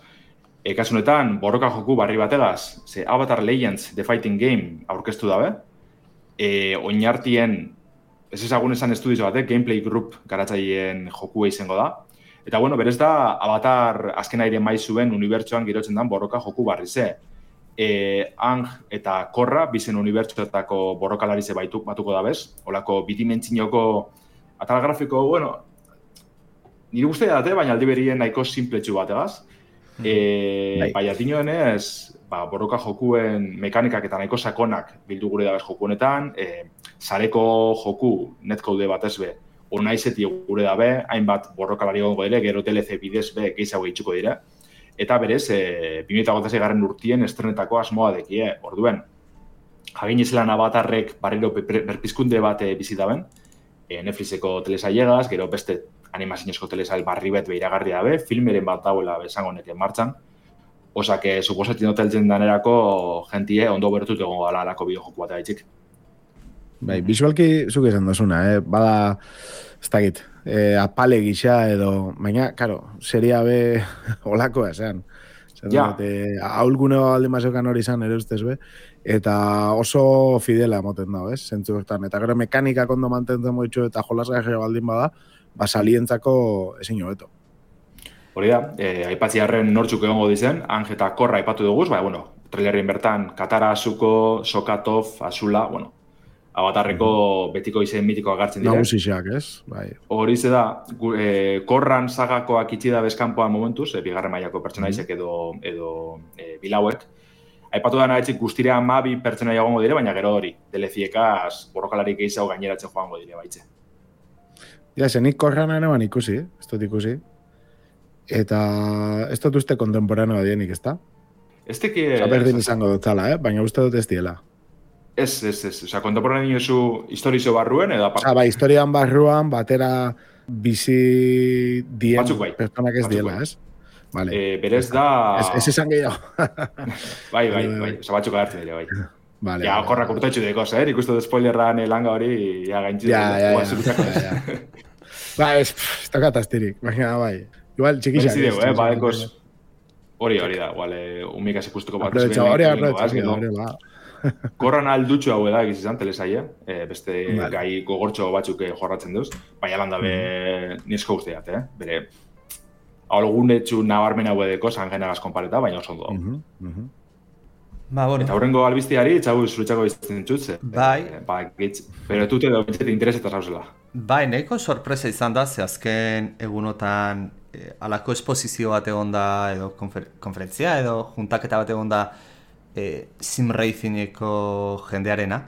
Kasunetan, borroka joku barri bategaz, ze Avatar Legends The Fighting Game aurkeztu dabe. Oinartien, ez ezagun esan estudizo batek, Gameplay Group garatzaileen jokua izango da. Eta bueno, berez da, Avatar azken aire maizuen unibertsoan girotzen dan borroka joku barri ze. Ang eta Korra, bizen unibertsoetako borrokalarize batuko da bez. Olako bidimentzinoko atal grafiko, bueno, nire guztia date, baina aldi berien nahiko simpletxu bategaz. Baiatinoenez, borroka jokuen mekanikak eta nahiko sakonak bildu gure dabez joku honetan, sareko joku netcode batez be, onaizeti gure dabe, hainbat borrokalari gongo dire, gero DLC bidez be gehiago itxuko dire. Eta berez, 2026 garren urtien estrenetako asmoa dekie, orduen. Jagin izelan Avatarrek barriro berpizkunde bat bizitaben, Netflixeko telesailegaz, gero beste animazinezko telesail barri bet behiragarri dabe, filmeren bat dauela besango neken martxan. Osak, suposatzen hoteltzen danerako jentie ondo bertut egongo gala alako bideojoku bat gaitxik. Bai, visualki zuk esan dozuna, bada, ez dakit, apale gisa edo, baina, karo, seria be olakoa esan. Ja. Aulgune alde mazokan hori izan ere ustez be, eta oso fidela moten dago, ez? Zentzu bertan. Eta gero mekanikak ondo mantentzen moitxu eta jolasgarria baldin bada, salientzako ezin hobeto. Hori da, aipatziarren nortzuk egongo dizen, Ang eta Korra aipatu duguz, bueno, trailerien bertan, Katara, Zuko, Sokatov, Azula, bueno, Avatarreko betiko izen mitikoa gartzen dire. Nagusixak, ez? Bai. Hori ze da, Korran sagakoak itxida bezkanpoan momentuz, bigarren mailako pertsonaizek edo bilauek. Aipatu da nahitzik guztira 12 pertsonaia egongo dire, baina gero hori, DLCiekaz borrokalarik gehiago gaineratzen joango dire baitze. Ja, zenik Korran eneban ikusi, ez dut ikusi. Eta ez dut uste kontemporanoa dienik, ez da? Ez teki... Berdin izango dut zala, baina uste dut ez diela. Ez. Osa, kontemporaneo zu historizo barruen edo aparte? Bai, historian barruan, batera bizi dien pertsonak ez diela, ez? Vale. Berez da... Ez esan gehiago. Bai. Osa, batzuk agartzen dira, bai. Vale, ja, Korrak urtetxu dekoz, ikustu dut spoilerran langa hori, ja, gaintzidu. Ja. Ba, ez tokatastirik, baina, bai. Igual, txikixak. Berezideu, badekoz... Hori da, igual, umikaz ikustuko bat. Hori, Korran aldutxu hau da egiz izan, telesaia. Beste gai gogortxo batzuk jorratzen duz. Baina lan dabe nizko uste dat, bere... Algunetxu nabarmen hau edeko, zangenagaz konpareta, baina oso ondo. Bueno. Eta horrengo albiztiari, txabu zuritxako izten txutze. Bai. Pero tute edo bintzete interesetan zauzela. Bai, nahiko sorpresa izan da, ze azken egunotan alako esposizio bat egon da, edo konferentzia, edo juntaketa bat egon da sim racingeko jendearena.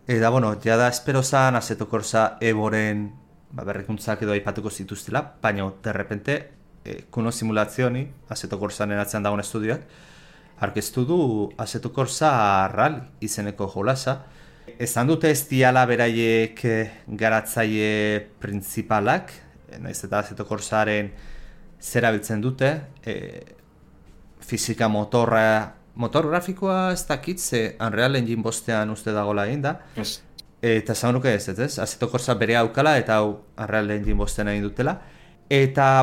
Eta, jada espero zan, Assetto Corsa Evoren berrikuntzak edo aipatuko zituztela, baina, derrepente, kuno simulazioni, Assetto Corsanen atzean dagoen estudioak, arkeztu du Assetto Corsa Rally izeneko jolasa. Ezan dute ez diala beraiek garatzaile printzipalak, naiz eta Assetto Corsaren zera biltzen dute, fizika motor grafikoa ez dakit, ze Unreal Engine bostean uste dagoela egin da. Yes. Eta esan nuke ez, Assetto Corsa bere aukala eta hau Unreal Engine bostean egin dutela. Eta,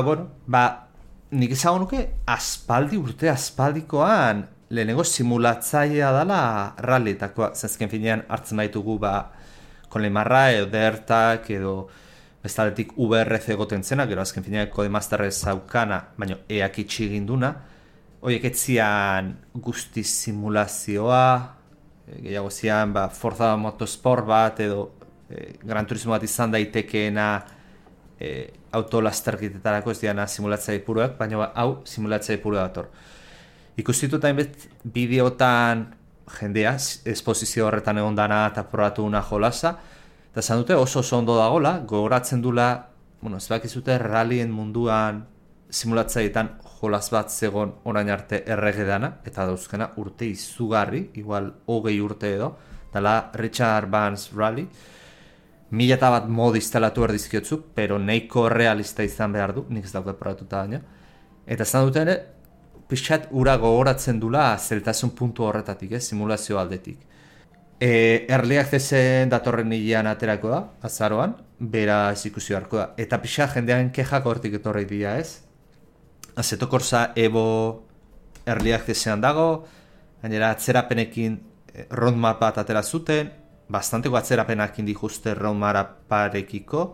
nik esan nuke aspaldikoan lehenengo simulatzailea dela rallyetakoa, zazken finean hartzen baitugu Konlemarra edo Dertak edo bestaletik VRC egoten zena, gero azken finean Codemasterrez zaukana, baina eak itxi ginduna, horiek etzian guzti simulazioa, gehiago zian Forza Motorsport bat edo Gran Turismo bat izan daitekeena autolasterketetarako ez diana simulatzaile puruak, baina hau simulatzaile purua dator. Ikustituta hainbet bideotan jendea, esposizio horretan egon dana eta probatu una jolasa, eta esan dute oso ondo dagola, gogoratzen dula, ez bakizute rallyen munduan simulatzaileetan jolas bat zegon orain arte errege dana, eta dauzkena urte izugarri, igual 20 urte edo, dela Richard Vance Rally, 1001 mod instalatu erdizkiotzuk, pero neiko realista izan behar du, nik ez dauke probatuta baina, eta esan dute ere, pixat ura gogoratzen dula zeltasun puntu horretatik, simulazio aldetik. Early Accessen datorren hilean aterako da, azaroan, bera ez ikusi beharko da. Eta pixa jendean kexak hortik etorri dira, ez? Assetto Corsa Evo Early Accessean dago, gainera atzerapenekin roadmap bat atera zuten, bastanteko atzerapenakin dituzte roadmaparekiko,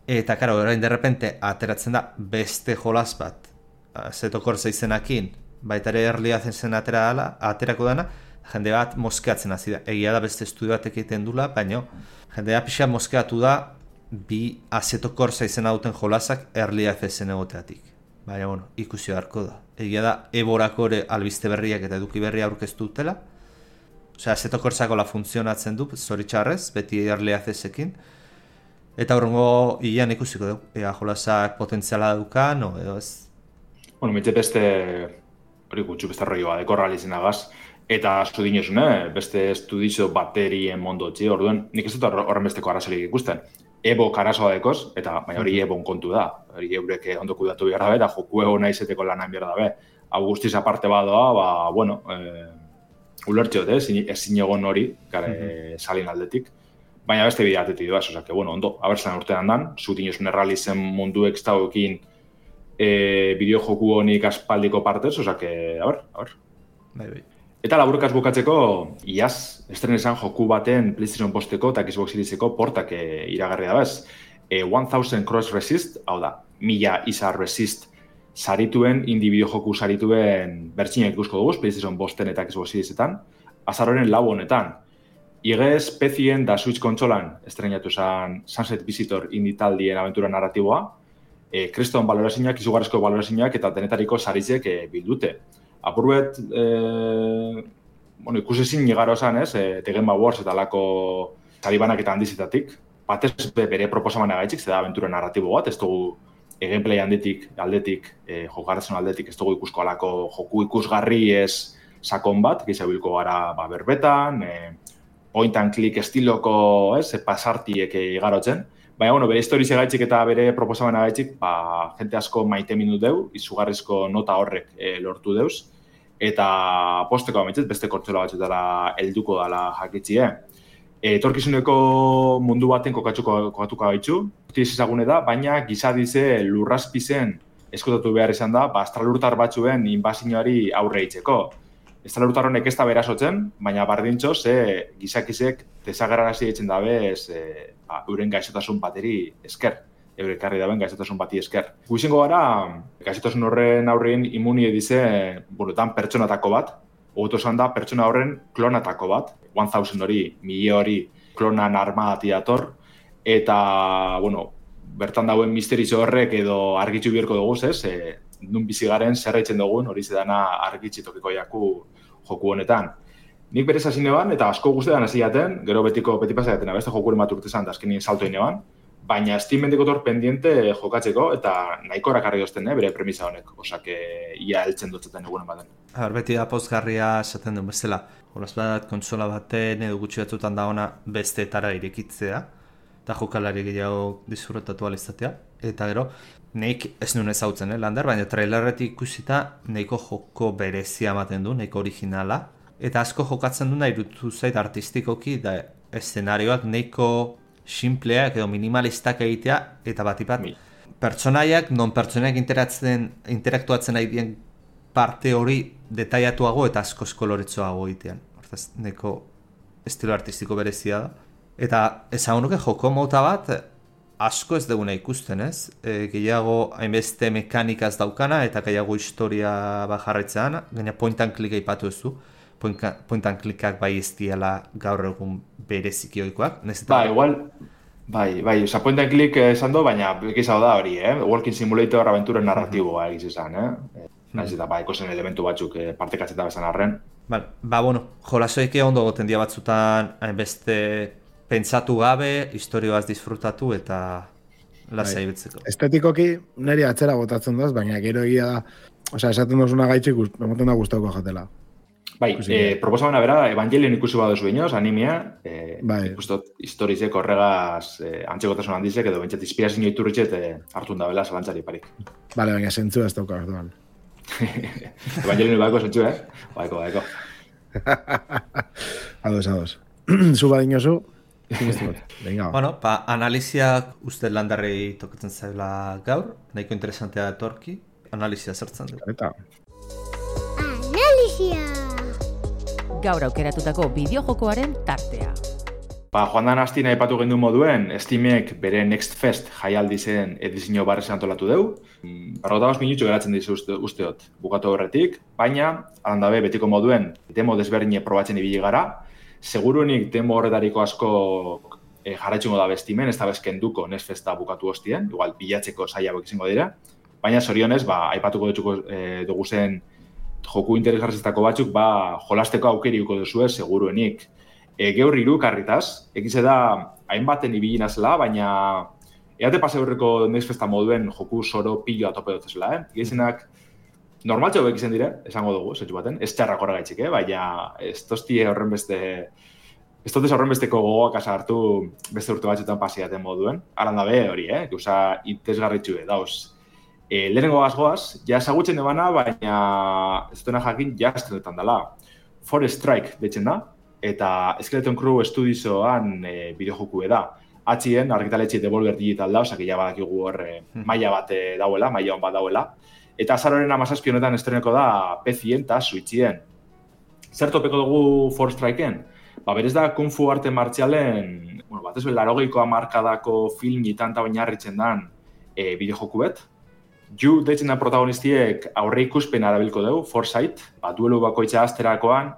eta karo, orain derrepente ateratzen da beste jolas bat, Assetto Corsa izenakin, baita ere Early Accessen aterako dana, jende bat moskeatzen hasi da. Egia da beste estudio batek egiten dula, baina jendea pixa moskeatu da bi Assetto Corsa izena duten jolasak Early Accessen egoteatik. Baina, bueno, ikusi beharko da. Egia da, Eborako ere albiste berriak eta eduki berria aurkeztu dutela. Osea, Assetto Corsako la funtzionatzen du, zoritxarrez, beti Early Accessekin. Eta horrengo hilean ikusiko dugu. Ea jolasak potentziala dukan, no, edo ez. Bueno, mitze beste, hori gutxu beste roioa, dekorral izenagaz. Eta asko dinesun, beste estudizo baterien mondotzi, orduen, nik ez dut horren besteko arazorik ikusten. Ebo karasoa dekoz, eta baina hori Ebon kontu da. Hori eurek ondo kudatu behar dabe, eta joku ego nahi zeteko lan behar dabe. Hau guztiz aparte badoa, bueno, ulertxeot, ezin egon hori, salin aldetik. Baina beste bidea atetik duaz, osake, bueno, ondo, abertzen urtean dan, zutin esun errealizen mundu ekstauekin bideo joku honik aspaldiko partez, osake, a ber. Bai. Eta laburkaz bukatzeko, iaz, estrenesan joku baten PlayStation Posteko eta Xbox Serieseko portak iragarri da bez. 1000 Cross Resist, hau da, 1000 izar resist sarituen, indie bideo joku sarituen bertxinak ikusko dugu, PlayStation Posten eta Xbox Seriesetan, azaroren 4 honetan. Igez, PC-en da Switch kontsolan estrenatu zen Sunset Visitor indie taldien aventura narratiboa, kriston balorazioak, izugarrizko balorazioak eta denetariko saritzek bildute. Apurbet, bueno, ikusezin nigaro esan, ez, The Game Awards eta lako saribanak eta handizetatik. Batez bere proposamana gaitxik, zeda aventura narratibo bat, ez dugu gameplay aldetik, jokarazun aldetik, ez dugu ikusko alako joku ikusgarri ez sakon bat, gizabilko gara berbetan, point and click estiloko, ez, pasartiek igarotzen. Baina, bueno, bere historize gaitxik eta bere proposamana gaitxik, jente asko maite minut deu, izugarrizko nota horrek lortu deuz, eta posteko ametxet, beste kortzola batxetara helduko dala jakitzie. Etorkizuneko mundu baten kokatuko gaitxu, utiz ezagune da, baina gizadize lurrazpizen eskutatu behar izan da, astralurtar batzuen inbazioari aurre itzeko. Astralurtar honek ez da berasotzen, baina bardintxo, gizakizek desagerrarazi ditzen dabe, euren gaixotasun bateri esker. Eurekarri daben gaixotasun bati esker. Guizengo gara, gaixotasun horren aurrein imuni edize, burutan pertsonatako bat, ogotu esan da pertsona horren klonatako bat, 1000 hori, 1000 hori klonan armadati dator, eta, bueno, bertan dauen misterizo horrek edo argitzu bierko dugu, ez? Nun bizigaren zerraitzen dugun, hori zedana argitzitokiko jaku joku honetan. Nik berez hasi neban, eta asko guztetan hasi jaten, gero beti pasa jaten, beste jokuren bat urtezan, da azkenin salto neban, baina Steam mendikotor pendiente jokatzeko, eta nahiko erakarri dozten, bere premisa honek, osak ia heltzen dutzeten egunen baten. Beti da pozgarria esaten duen bezala, jolas bat, kontsola baten edo gutxi batzutan da ona besteetara irekitzea, eta jokalari gehiago disfrutatu alizatea, eta gero, nik ez nuen ezautzen, lander, baina trailerretik ikusita nahiko joko berezia ematen du, nahiko originala, eta asko jokatzen duna irutu zait artistikoki, da eszenarioak nahiko simpleak edo minimalistak egitea, eta batipat pertsonaiak, non pertsonaiak interaktuatzen nahi dien parte hori detaiatuago eta asko koloretsuago egitean. Hortaz, nahiko estilo artistiko berezia da. Eta ezagunuke joko mota bat asko ez duguna ikusten, ez? Gehiago hainbeste mekanikaz daukana eta gehiago historia bajarretzean, gaina point and click aipatu ez du. Point and clickak bai ez diela gaur egun bereziki ohikoak. Igual, oza, point and click esan do, baina ekizau da hori, Walking Simulator aventura narratiboa egiz izan, Naiz eta ikozen elementu batzuk partekatzen da bezan arren. Bueno, jolasoik ondo goten dia batzutan hainbeste pentsatu gabe, historioaz disfrutatu eta lasai betzeko. Estetikoki niri atzera botatzen daz, baina gero egia da, esaten dozuna gaitxik, emoten da gustauko jatela. Proposamena bera, Evangelion ikusi baduzu inoz, animea, ikustot historizek horregaz antzekotasun handizek, edo bentsat inspirazio iturritxet hartun da bela zalantzari parik. Baina zentzu ez dauka hartuan. Evangelion baiko zentzu, Baiko. Ados. zu badinozu, venga. Bueno, analiziak uste Landarrei tokatzen zaila gaur, nahiko interesantea etorki, analizia zertzen du. Eta. Analizia! Gaur aukeratutako bideojokoaren tartea. Joan dan hastin aipatu gendu moduen, Steamek bere Next Fest jaialdizen edizio barrez antolatu deu. 45 minutxo geratzen dizu usteot bukatu horretik, baina, alandabe, betiko moduen, demo desberdine probatzen ibili gara. Seguruenik demo horretariko asko jarraitxungo da Steamen, ez da bezkenduko Next Festa bukatu hostien, igual bilatzeko saiabok izango dira. Baina, zorionez, aipatuko dugu zen joku interesgarriztako batzuk, jolasteko aukeriuko duzue seguruenik. Geur hiru karritaz, egize da hainbaten ibilina zela, baina eate pase horreko Next Festa moduen joku soro piloa tope dutezela, Gehizenak normaltxo bekizen dire, esango dugu, zetxu baten, ez txarrak horregaitxik, baina ez toztie horren besteko gogoak hartu beste urte batzuetan pasiaten moduen. Aran dabe hori, gauza itezgarritxue, dauz. Lehenengo goaz, ja esagutzen ebana, baina ez duena jakin jaztenetan dela. Forest Strike deitzen da, eta Skeleton Crew Studiosoan bideojoku da. Atxien, argitaletxe Devolver Digital da, osak ja badakigu hor maila bat dauela, maila hon bat dauela. Eta azaroren 17 honetan estreneko da PC-en eta Switch-ien. Zer topeko dugu Forest Strikeen? Berez da Kung Fu arte martzialen, batez bela 80ko hamarkadako filmitan eta oinarritzen dan bideojoku bet. Ju deitzen da protagonistiek aurre ikuspena erabilko dugu, Foresight, duelu bakoitza azterakoan,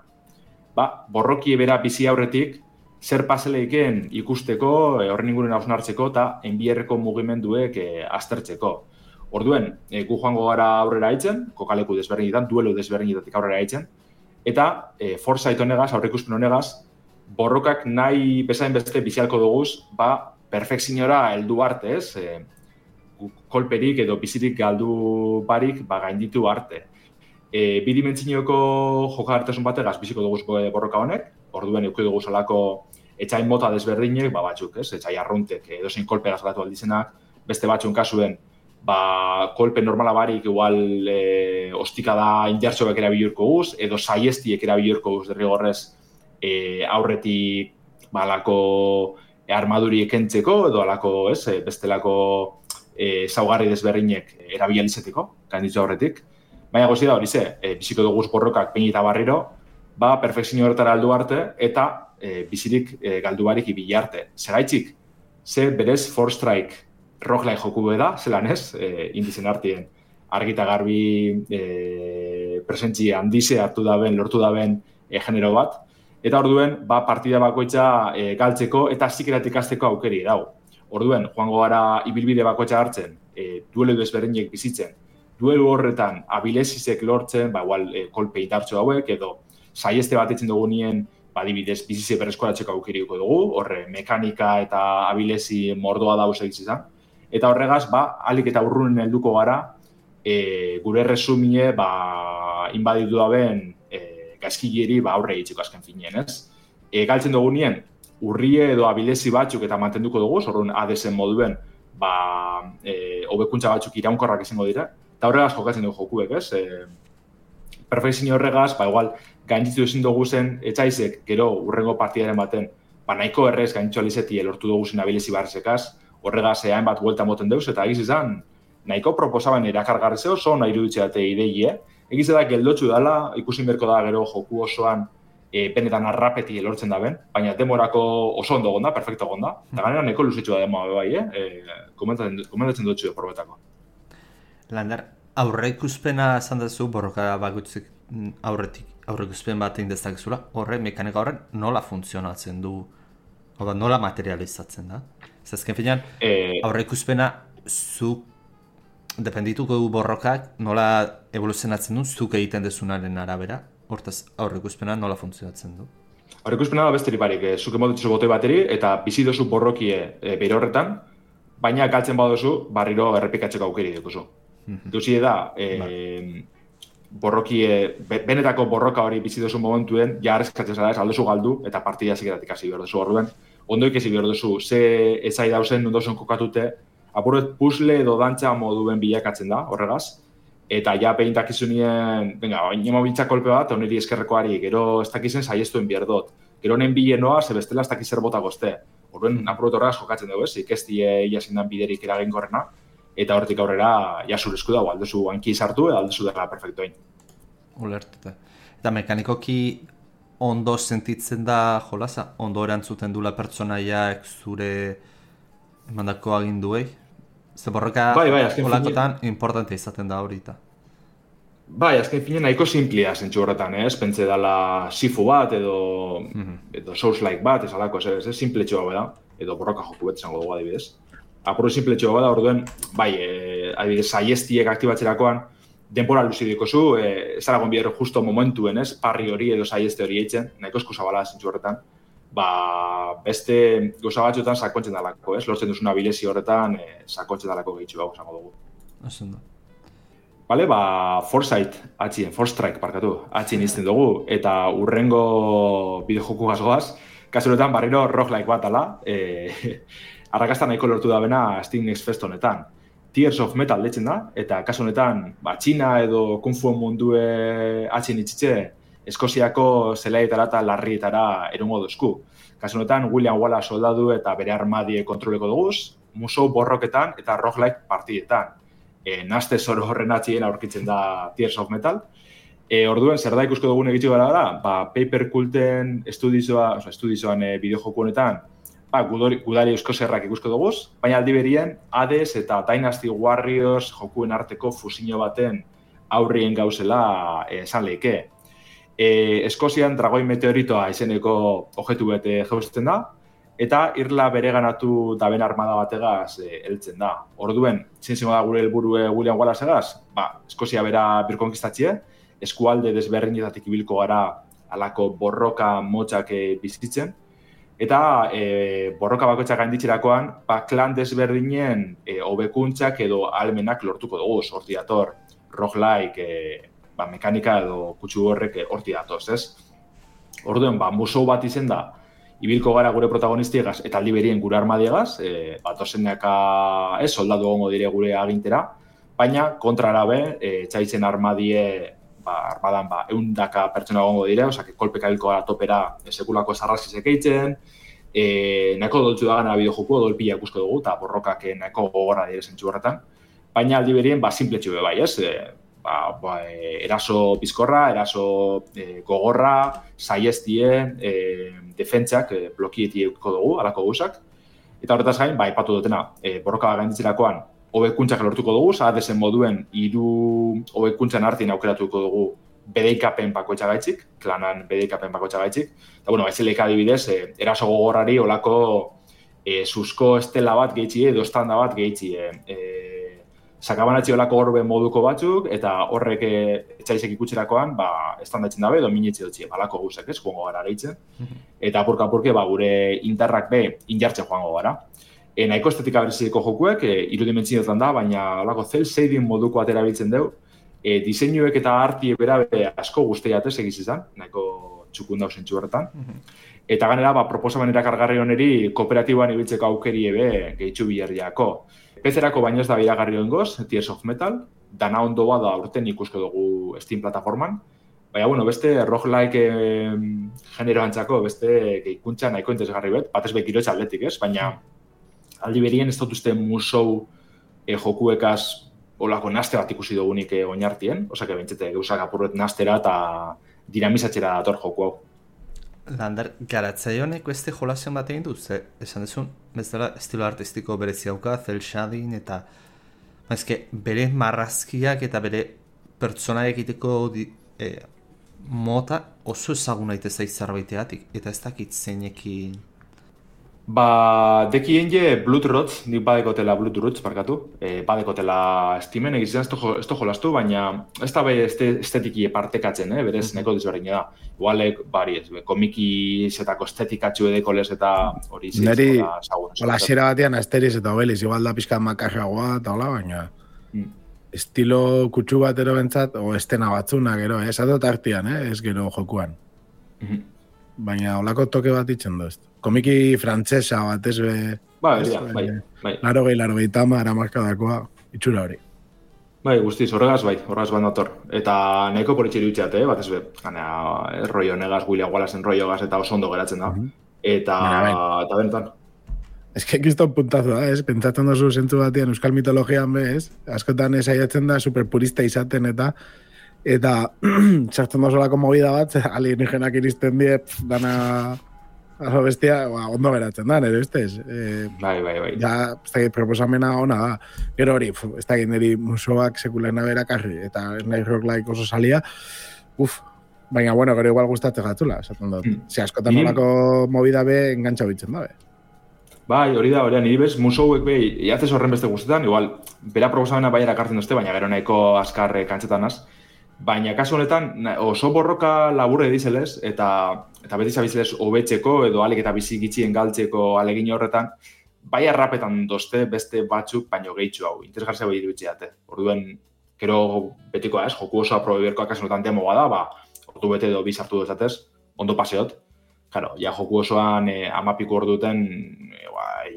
borrokie bera bizi aurretik, zer paseleiken ikusteko, horren inguren hausnartzeko eta enbierreko mugimenduek aztertzeko. Orduen, gu joango gara aurrera haitzen, kokaleku desberdinetan, duelu desberdinetatik aurrera haitzen, eta Foresight honegaz, aurre ikuspen honegaz, borrokak nahi bezain beste bizialko duguz, perfekziora heldu arte, kolperik edo bizirik galdu barik gainditu arte. Bi dimentsioko jokagartasun bategaz biziko dugu borroka honek, orduen euki dugu salako etxain mota desberdinek, batzuk, etxai arruntek, edozein kolpe gazgatu aldizenak, beste batzun kasuen, kolpe normala barik igual ostikada injartxoak erabilurko guz, edo saiestiek erabilurko guz derrigorrez aurretik alako armaduriek entzeko, edo alako, bestelako zaugarri desberdinek erabilializeteko, gainditzu aurretik. Baina gozida hori biziko duguz borrokak pein eta barriro, perfekzio horretara aldu arte eta bizirik galdu barik ibili arte. Zeraitzik, ze berez Force Strike roguelike joku da, zelan ez, indizen artien argita garbi presentzi handize hartu daben, lortu daben genero bat, eta orduen partida bakoitza galtzeko eta zikeratik azteko aukeri dago. Orduen, joango gara ibilbide bakoitza hartzen, duelu desberdinek bizitzen, duelu horretan abilesizek lortzen, kolpe indartxo hauek, edo saieste bat etzen dugu nien, adibidez, bizize berreskoratzeko aukeriuko dugu, horre mekanika eta abilesi mordoa dauz egizizan. Eta horregaz, alik eta urrunen helduko gara, gure resumie, inbaditu daben gaizkilleri aurre egitxeko azken finien, ez? Galtzen dugu nien, urrie edo abilesi batzuk eta mantenduko dugu, zorun ADS-en moduen, hobekuntza batzuk iraunkorrak izango dira, eta horregaz jokatzen dugu jokuek, ez? Perfekzio horregaz, igual, gainditu ezin dugu zen etxaizek, gero urrengo partidaren baten, nahiko errez gainditzu alizeti lortu dugu zen abilesi barrezekaz, horregaz hainbat buelta moten deuz, eta egiz izan, nahiko proposaben erakargarri zeo, oso nahi iruditzeate idei, egiz da geldotxu dela, ikusin berko da gero joku osoan, benetan arrapeti lortzen da ben, baina demorako oso ondo gonda, perfecto gonda, eta ganera nahiko luzitxu da demoa bai, komentatzen dutxu probetako. Landar, aurreikuspena esan duzu borroka bakutzik aurreikuspen bat egin dezakezula, mekanika horren nola funtzionatzen du, nola materializatzen da? Zazken finean, aurreikuspena zuk dependituko du borrokak nola evoluzionatzen du, zuk egiten dezunaren arabera, hortaz aurreikuspena nola funtzionatzen du? Aurreikuspena da besterik barik, zuk emotitzu botoi bateri eta bizi dozu borrokie bere horretan, baina galtzen badozu barriro errepikatzeko aukeri dukuzu. Duzi da, benetako borroka hori bizi dozu momentuen, ja arrezkatzen zara ez, aldozu galdu eta partida zikeratik hasi behar duzu orduen. Ondoik ezi behar duzu, ze ezai dauzen ondozen kokatute, apuret puzzle edo dantza moduen bilakatzen da, horregaz. Eta ja behin dakizunien, venga, inemo biltza kolpe bat, oneri eskerrekoari, gero ez dakizen saiestuen bierdot. gero nen bile noa, ze bestela ez dakiz zer bota gozte. Horren, apurot jokatzen dugu, ikestie iazindan biderik eraginkorrena, eta hortik aurrera, jasur esku dago, aldezu hanki sartu, aldezu dela perfektoin. Ulertuta. Eta mekanikoki ondo sentitzen da jolasa? Ondo erantzuten dula pertsonaiak zure emandako aginduei? Ze borroka jolakotan importante izaten da horita. Bai, azken finen nahiko simplia zentzu horretan, pentsa dela sifu bat edo Souls-like bat, esalako, ez simpletxoa bada, edo borroka joku bet zango dugu adibidez. Apuru simpletxoa bada, orduen, bai, adibidez, saiestiek aktibatzerakoan, denbora luzidiko zu, ez aragon bidero justo momentuen, parri hori edo saieste hori eitzen, nahiko esku zabala zentzu horretan, beste goza batzuetan sakontzen dalako, lortzen duzuna bilezi horretan, sakontzen dalako gehitxu hau zango dugu. Asendo. Bale, Foresight, Forstrike, atxien izten dugu, eta urrengo bideojoku gazgoaz, kasuretan barriro roguelike bat ala, arrakasta nahiko lortu da bena Steam Next Fest honetan. Tears of Metal deitzen da, eta kasu honetan, Txina edo Kung Fu mundue atxien itxitze, Eskoziako zelaietara eta larrietara erungo duzku. Kasu honetan, William Wallace soldadu eta bere armadie kontroleko duguz, musou borroketan eta roguelike partidetan. Naste zoro horren atxien aurkitzen da Tears of Metal. Orduen, zer da ikusko dugun egitxo gara da, Paper Culten estudioan bideojoku honetan, gudari euskozerrak ikusko duguz, baina aldi berien Hades eta Dynasty Warriors jokuen arteko fusinio baten aurrien gauzela esan lehike. Eskozian dragoi meteoritoa izeneko objektu bete jauzten da, eta irla bereganatu daben armada bategaz heltzen da. Orduen, zintzimo da gure helburue William Wallace-egaz, Eskozia bera birkonkistatzie, eskualde desberdinetatik ibilko gara alako borroka motxak bizitzen, eta borroka bakoitzak gainditzerakoan, klan desberdinen hobekuntzak edo almenak lortuko dugu, horti dator, roguelike, mekanika edo kutsu horrek horti datoz, ez? Orduen, musou bat izen da, ibilko gara gure protagonistiegaz eta aldi berien gure armadiegaz, batozenaka soldadu egongo dire gure agintera, baina kontrara be, txaitzen armadie, armadan 100 pertsona egongo dire, osea, kolpeka hilko gara topera sekulako sarrazizek eitzen, nahiko doltzu da gana bideojoku, dolpila ikusko dugu, eta borrokak nahiko gogorra dire zentzu horretan, baina aldi berien simpletxu be bai, ez? Eraso bizkorra, eraso gogorra, saiestie, defentsak blokietieko dugu, alako guzak. Eta horretaz gain, ipatu dutena, borroka gainditzerakoan, hobekuntzak lortuko dugu, Hadesen moduen 3 hobekuntzan artien aukeratuko dugu bedeikapen bakoitza gaitzik, klanan bedeikapen bakoitza gaitzik. Eta, baizeleka adibidez, eraso gogorrari olako susko estela bat gehitxie, edo estanda bat gehitxie. Sakabanatzi olako orbe moduko batzuk, eta horrek etxaizek ikutzerakoan, estandatzen dabe, edo minitzi dutxie, balako guzek, joango gara areitzen. Eta apurka-apurke, gure indarrak injartzen joango gara. Nahiko estetika bereziko jokuek, 3 dimentsioetan da, baina olako cel shading moduko atera biltzen dugu. Diseinuek eta arti bera asko guztiatez egiz izan, nahiko txukun dauz zentzu horretan. Eta ganera, proposamen erakargarri honeri kooperatiboan ibiltzeko aukeri gehitxu biherriako. PC-erako baino ez da biragarri hongoz, Tears of Metal, dana ondo da urten ikusko dugu Steam plataforman. Baina, beste roguelike genero antzako, beste gehikuntza nahiko interesgarri batez bekirotxa atletik, ez? Baina, aldi berien ez dut uste musou jokuekaz olako naste bat ikusi dugunik oinartien, osake bentsete gauzak apurret nastera eta dinamizatxera dator joku hau. Lander, garatzaile honek beste jolazion bat egin dut, esan dezun, bezala estilo artistiko berezi hauka, cel shading eta bere marrazkiak eta bere pertsona egiteko mota oso ezaguna itezai zerbaiteatik, eta ez dakit zeinekin. Dekien je Bloodrots, nik badekotela Bloodrots, badekotela Steamen egizien ez to jolastu, baina ez da estetiki partekatzen, berez neko dizberdin da. Igualek, komiki zetako estetikatxu edeko lez eta hori zitz. Neri, hola xera batean Asterix eta Obelix, igual da pixka makarragoa eta hola, baina estilo kutsu batero bentsat, o estena batzuna gero, ez adot artian, ez gero jokuan. Baina holako toke bat itzen du, ez. Komiki frantzesa bat ez be... Bai. 80-90 markadakoa, itxura hori. Bai, guztiz, horregaz bat nator. Eta nahiko politxe iruditzeat, batez be, rollo negaz, William Wallace-en rollo eta oso ondo geratzen da. Eta benetan. Ez que kiston puntazo da, pentsatzen dozu zentzu batean euskal mitologian bez, askotan saiatzen da superpurista izaten eta txartzen dozolako movida bat, alienígenak iristen die, dana aso bestia, ondo geratzen da, nire ustez. Bai. Ja, ez da, proposamena ona da. Gero hori, ez da, niri musoak sekulena berakarri, eta nahi rock-like oso salia, baina, bueno, gero igual gustatzen gatzula, esaten dut. Askotan olako movida be, engantxa bitzen da, be. Bai, hori da, niri bez, musouek behi, iatzez horren beste guztetan, igual, bera proposamena bai erakartzen duzte, baina gero nahiko azkar kantzetanaz. Baina kasu honetan, oso borroka laburre dizelez, eta beti zabizelez hobetzeko, edo alik eta bizi gitxien galtzeko alegin horretan, bai arrapetan dozte beste batzuk, baino gehitxu hau, interesgartzea bai iruditzeate. Orduen, gero betikoa ez, joku oso aprobeberkoa kasu honetan demo bada, ordu bete edo bizartu duzatez, ondo paseot. Claro, ja joku osoan amapiko orduten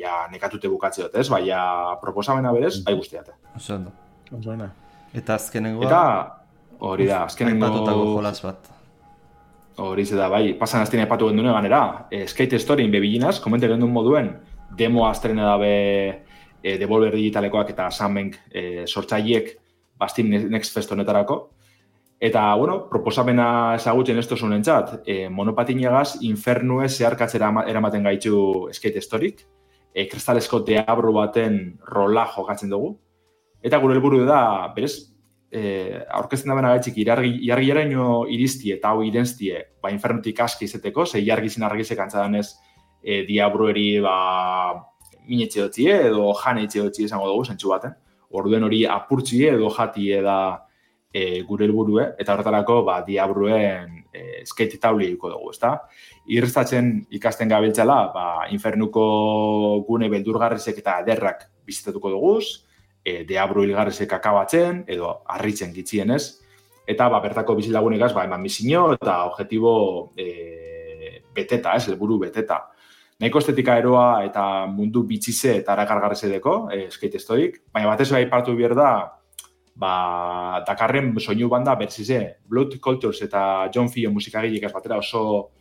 ja nekatute bukatzeot, ez? Baina proposamena berez, bai guztiate. Oso ondo. Eta azkenengoa... Eta hori da, azkenengo... Aipatutako jolas bat. Hori da, bai, pasan aztien aipatu gendune ganera. Skate Storyin bebilinaz, komente gendun moduen, demo azterena dabe Devolver Digitalekoak eta Sunbank sortzaileek Steam Next Fest honetarako. Eta, bueno, proposamena ezagutzen ez tozun entzat, monopatinagaz infernue zeharkatzera eramaten gaitu Skate Storyk, kristalesko deabru baten rola jokatzen dugu. Eta gure helburu da, berez, aurkezten da bena gaitxik, iargiraino iriztie eta hau irenztie, infernutik aski izeteko, ze iargizin argizek antzadanez diabrueri minetxe dutzie edo janetxe dutzie esango dugu, zentsu baten. Orduen hori apurtzie edo jatie da gure helburue, eta horretarako diabruen skate tauli duko dugu, ezta? Irrestatzen ikasten gabiltzala, infernuko gune beldurgarrizek eta ederrak bizitatuko duguz, deabru hilgarrizek akabatzen, edo harritzen gitzienez, eta bertako bizilagunegaz eman misio eta objetibo beteta, helburu beteta. Nahiko estetika eroa eta mundu bitxize eta arakargarrizedeko, skate storyk, baina batez aipatu behar da, dakarren soinu banda berzize, Blood Cultures eta John Fio musikagilek batera oso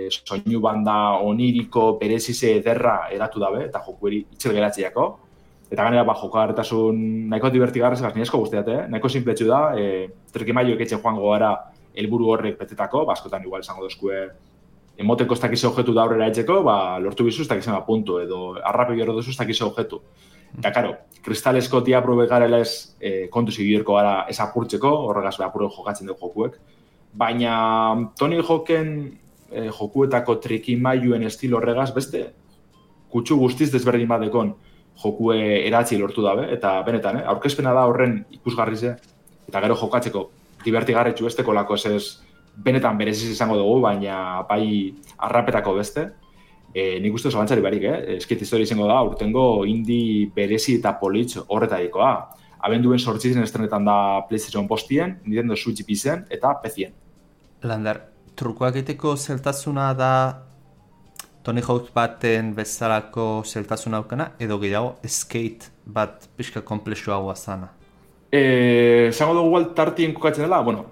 soinu banda oniriko berezize ederra eratu dabe, eta jokueri itxel geratziako. Eta ganera, jokagarretasun nahiko divertigarrez, nahiko guztiate, nahiko sinpletxu da, trekimaio eketxe joango gara helburu horrek betetako, askotan igual esango dozkue, emoteko ez dakize objetu da aurrera etxeko, lortu bizu ez dakizen puntu, edo arrape gero duzu ez dakize objetu. Eta, karo, kristalesko diabru begarela ez kontu zibierko gara ez apurtzeko, horregaz apurro jokatzen dugu jokuek. Baina Tony Hawken jokuetako trikimaiuen estilo horregaz beste kutsu guztiz desberdin badekon jokue eratzi lortu dabe, eta benetan, aurkezpena da horren ikusgarrize, eta gero jokatzeko divertigarretxu besteko lako ez benetan bereziz izango dugu, baina bai arrapetako beste. Nik uste zalantzari barik, Skate Story izango da, urtengo indie berezi eta politx horretarikoa. Abenduen 8 estrenetan da PlayStation postien, Nintendo Switch pizen eta PC-en. Lander, trukoak egiteko zeltasuna da Tony Hawk baten bezalako zeltasuna aukana, edo gehiago skate bat pixka komplexuagoa zana? Zango dugu tartien kokatzen dela, bueno,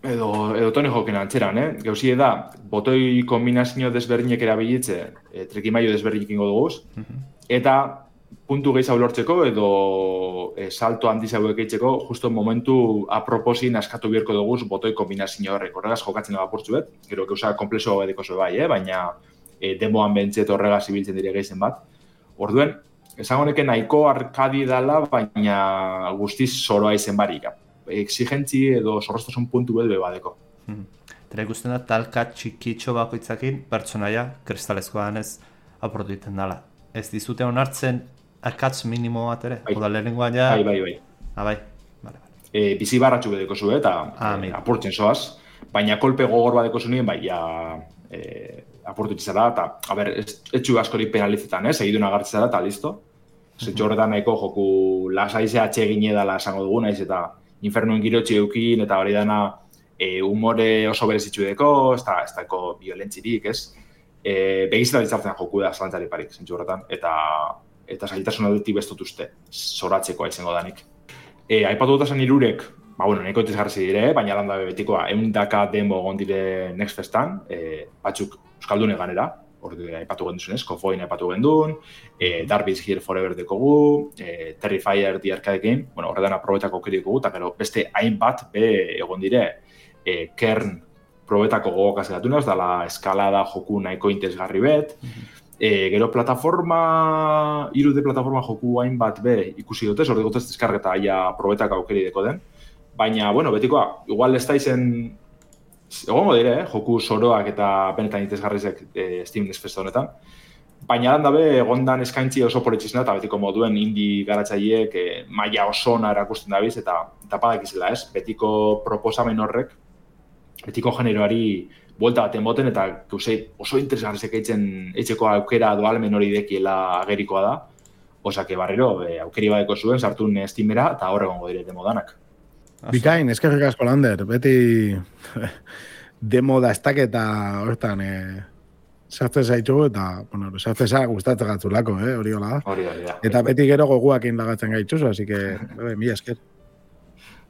edo Tony Hawken antzeran, Gauzie da, botoi kombinazio desberdinek erabilitze, trekimaio desberdinek ingo duguz, eta puntu gehiago lortzeko edo salto handiz hauek eitzeko, justo momentu aproposin askatu bierko duguz botoi kombinazio horrek. Horregaz jokatzen dago apurtzuet, gero gauza komplexo edeko zo bai, baina demoan bentzet horregaz ibiltzen dire gehizen bat. Orduen, esango neke nahiko arkadi dala, baina guztiz zoroa izen barik. Exigentzi edo zorroztasun puntu belbe badeko. Tera ikusten da, talka txikitxo bakoitzakin pertsonaia kristalezkoan ez aportu egiten dela. Ez dizute onartzen akatz minimo bat ere? Oda lehenengoan ja... Bai. Bai. Bizi barratxu bedeko zu, eta apurtzen zoaz. Baina kolpe gogor badeko zu nien, apurtu txizara, eta, etxu askori penalizetan, segiduna agartzera, eta listo. Zetxo horretan nahiko joku lasaize atxegin edala esango dugu, naiz eta infernuen girotxe eukin, eta hori dana humore oso berezitxu deko, ez dako violentzirik, ez? Begizela ditzartzen joku da zalantzari parik, zentxu horretan, eta zailtasun aldetik bestut uste, zoratzekoa izango danik. Aipatu dut esan irurek, nahiko itezgarri dire, baina landa betikoa, 100 demo egon dire Next Festan, batzuk euskaldune ganera, aipatu genduzunez, Kofoin aipatu gendun, Darby's Here Forever dekogu, Terrifier The Arcade Game, horretan aprobetako kerikogu, eta gero beste hainbat egon dire, Kern probetako gogokaz gatunaz, dala eskalada joku nahiko interesgarri bet, gero plataforma, 3D plataforma joku hainbat ikusi dutez, hori gotez deskargeta aia probetak aukeri deko den. Baina, betikoa, igual ez da izen, egongo dire, joku soroak eta benetan interesgarrizek Steam Next Fest honetan. Baina dabe, egondan eskaintzi oso politxizena eta betiko moduen indie garatzaileek maila oso ona erakusten dabiz eta padakizela ez, betiko proposamen horrek, betiko generoari buelta bat emoten eta oso interesgarrizek eitzeko aukera doalmen hori dekiela agerikoa da. Osake barrero, aukeri badeko zuen, sartun Steamera eta horregongo dire demodanak. Bikain, eskerrik asko Lander, beti demo da estaketa hortan sartzen zaitugu eta, sartzen za gustatzen gatzulako, hori hola da. Hori da. Eta beti gero goguak indagatzen gaitzuzu, así que, mila esker.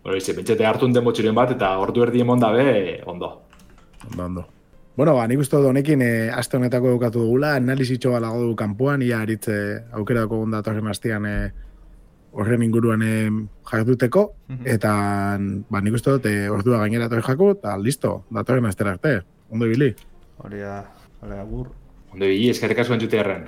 Bentsete hartun demo txiren bat eta ordu erdi emon dabe, ondo. Ondo. Nik uste dut honekin aste honetako edukatu dugula, analizitxo balago du kanpoan, ia aritze aukerako gondatorren hastian horren inguruan jarduteko, eta nik uste dut ordua gainera torri jako, eta listo, datorren astera arte. Ondo ibili. Hori da, agur. Ondo ibili, eskerrik asko entzute erren.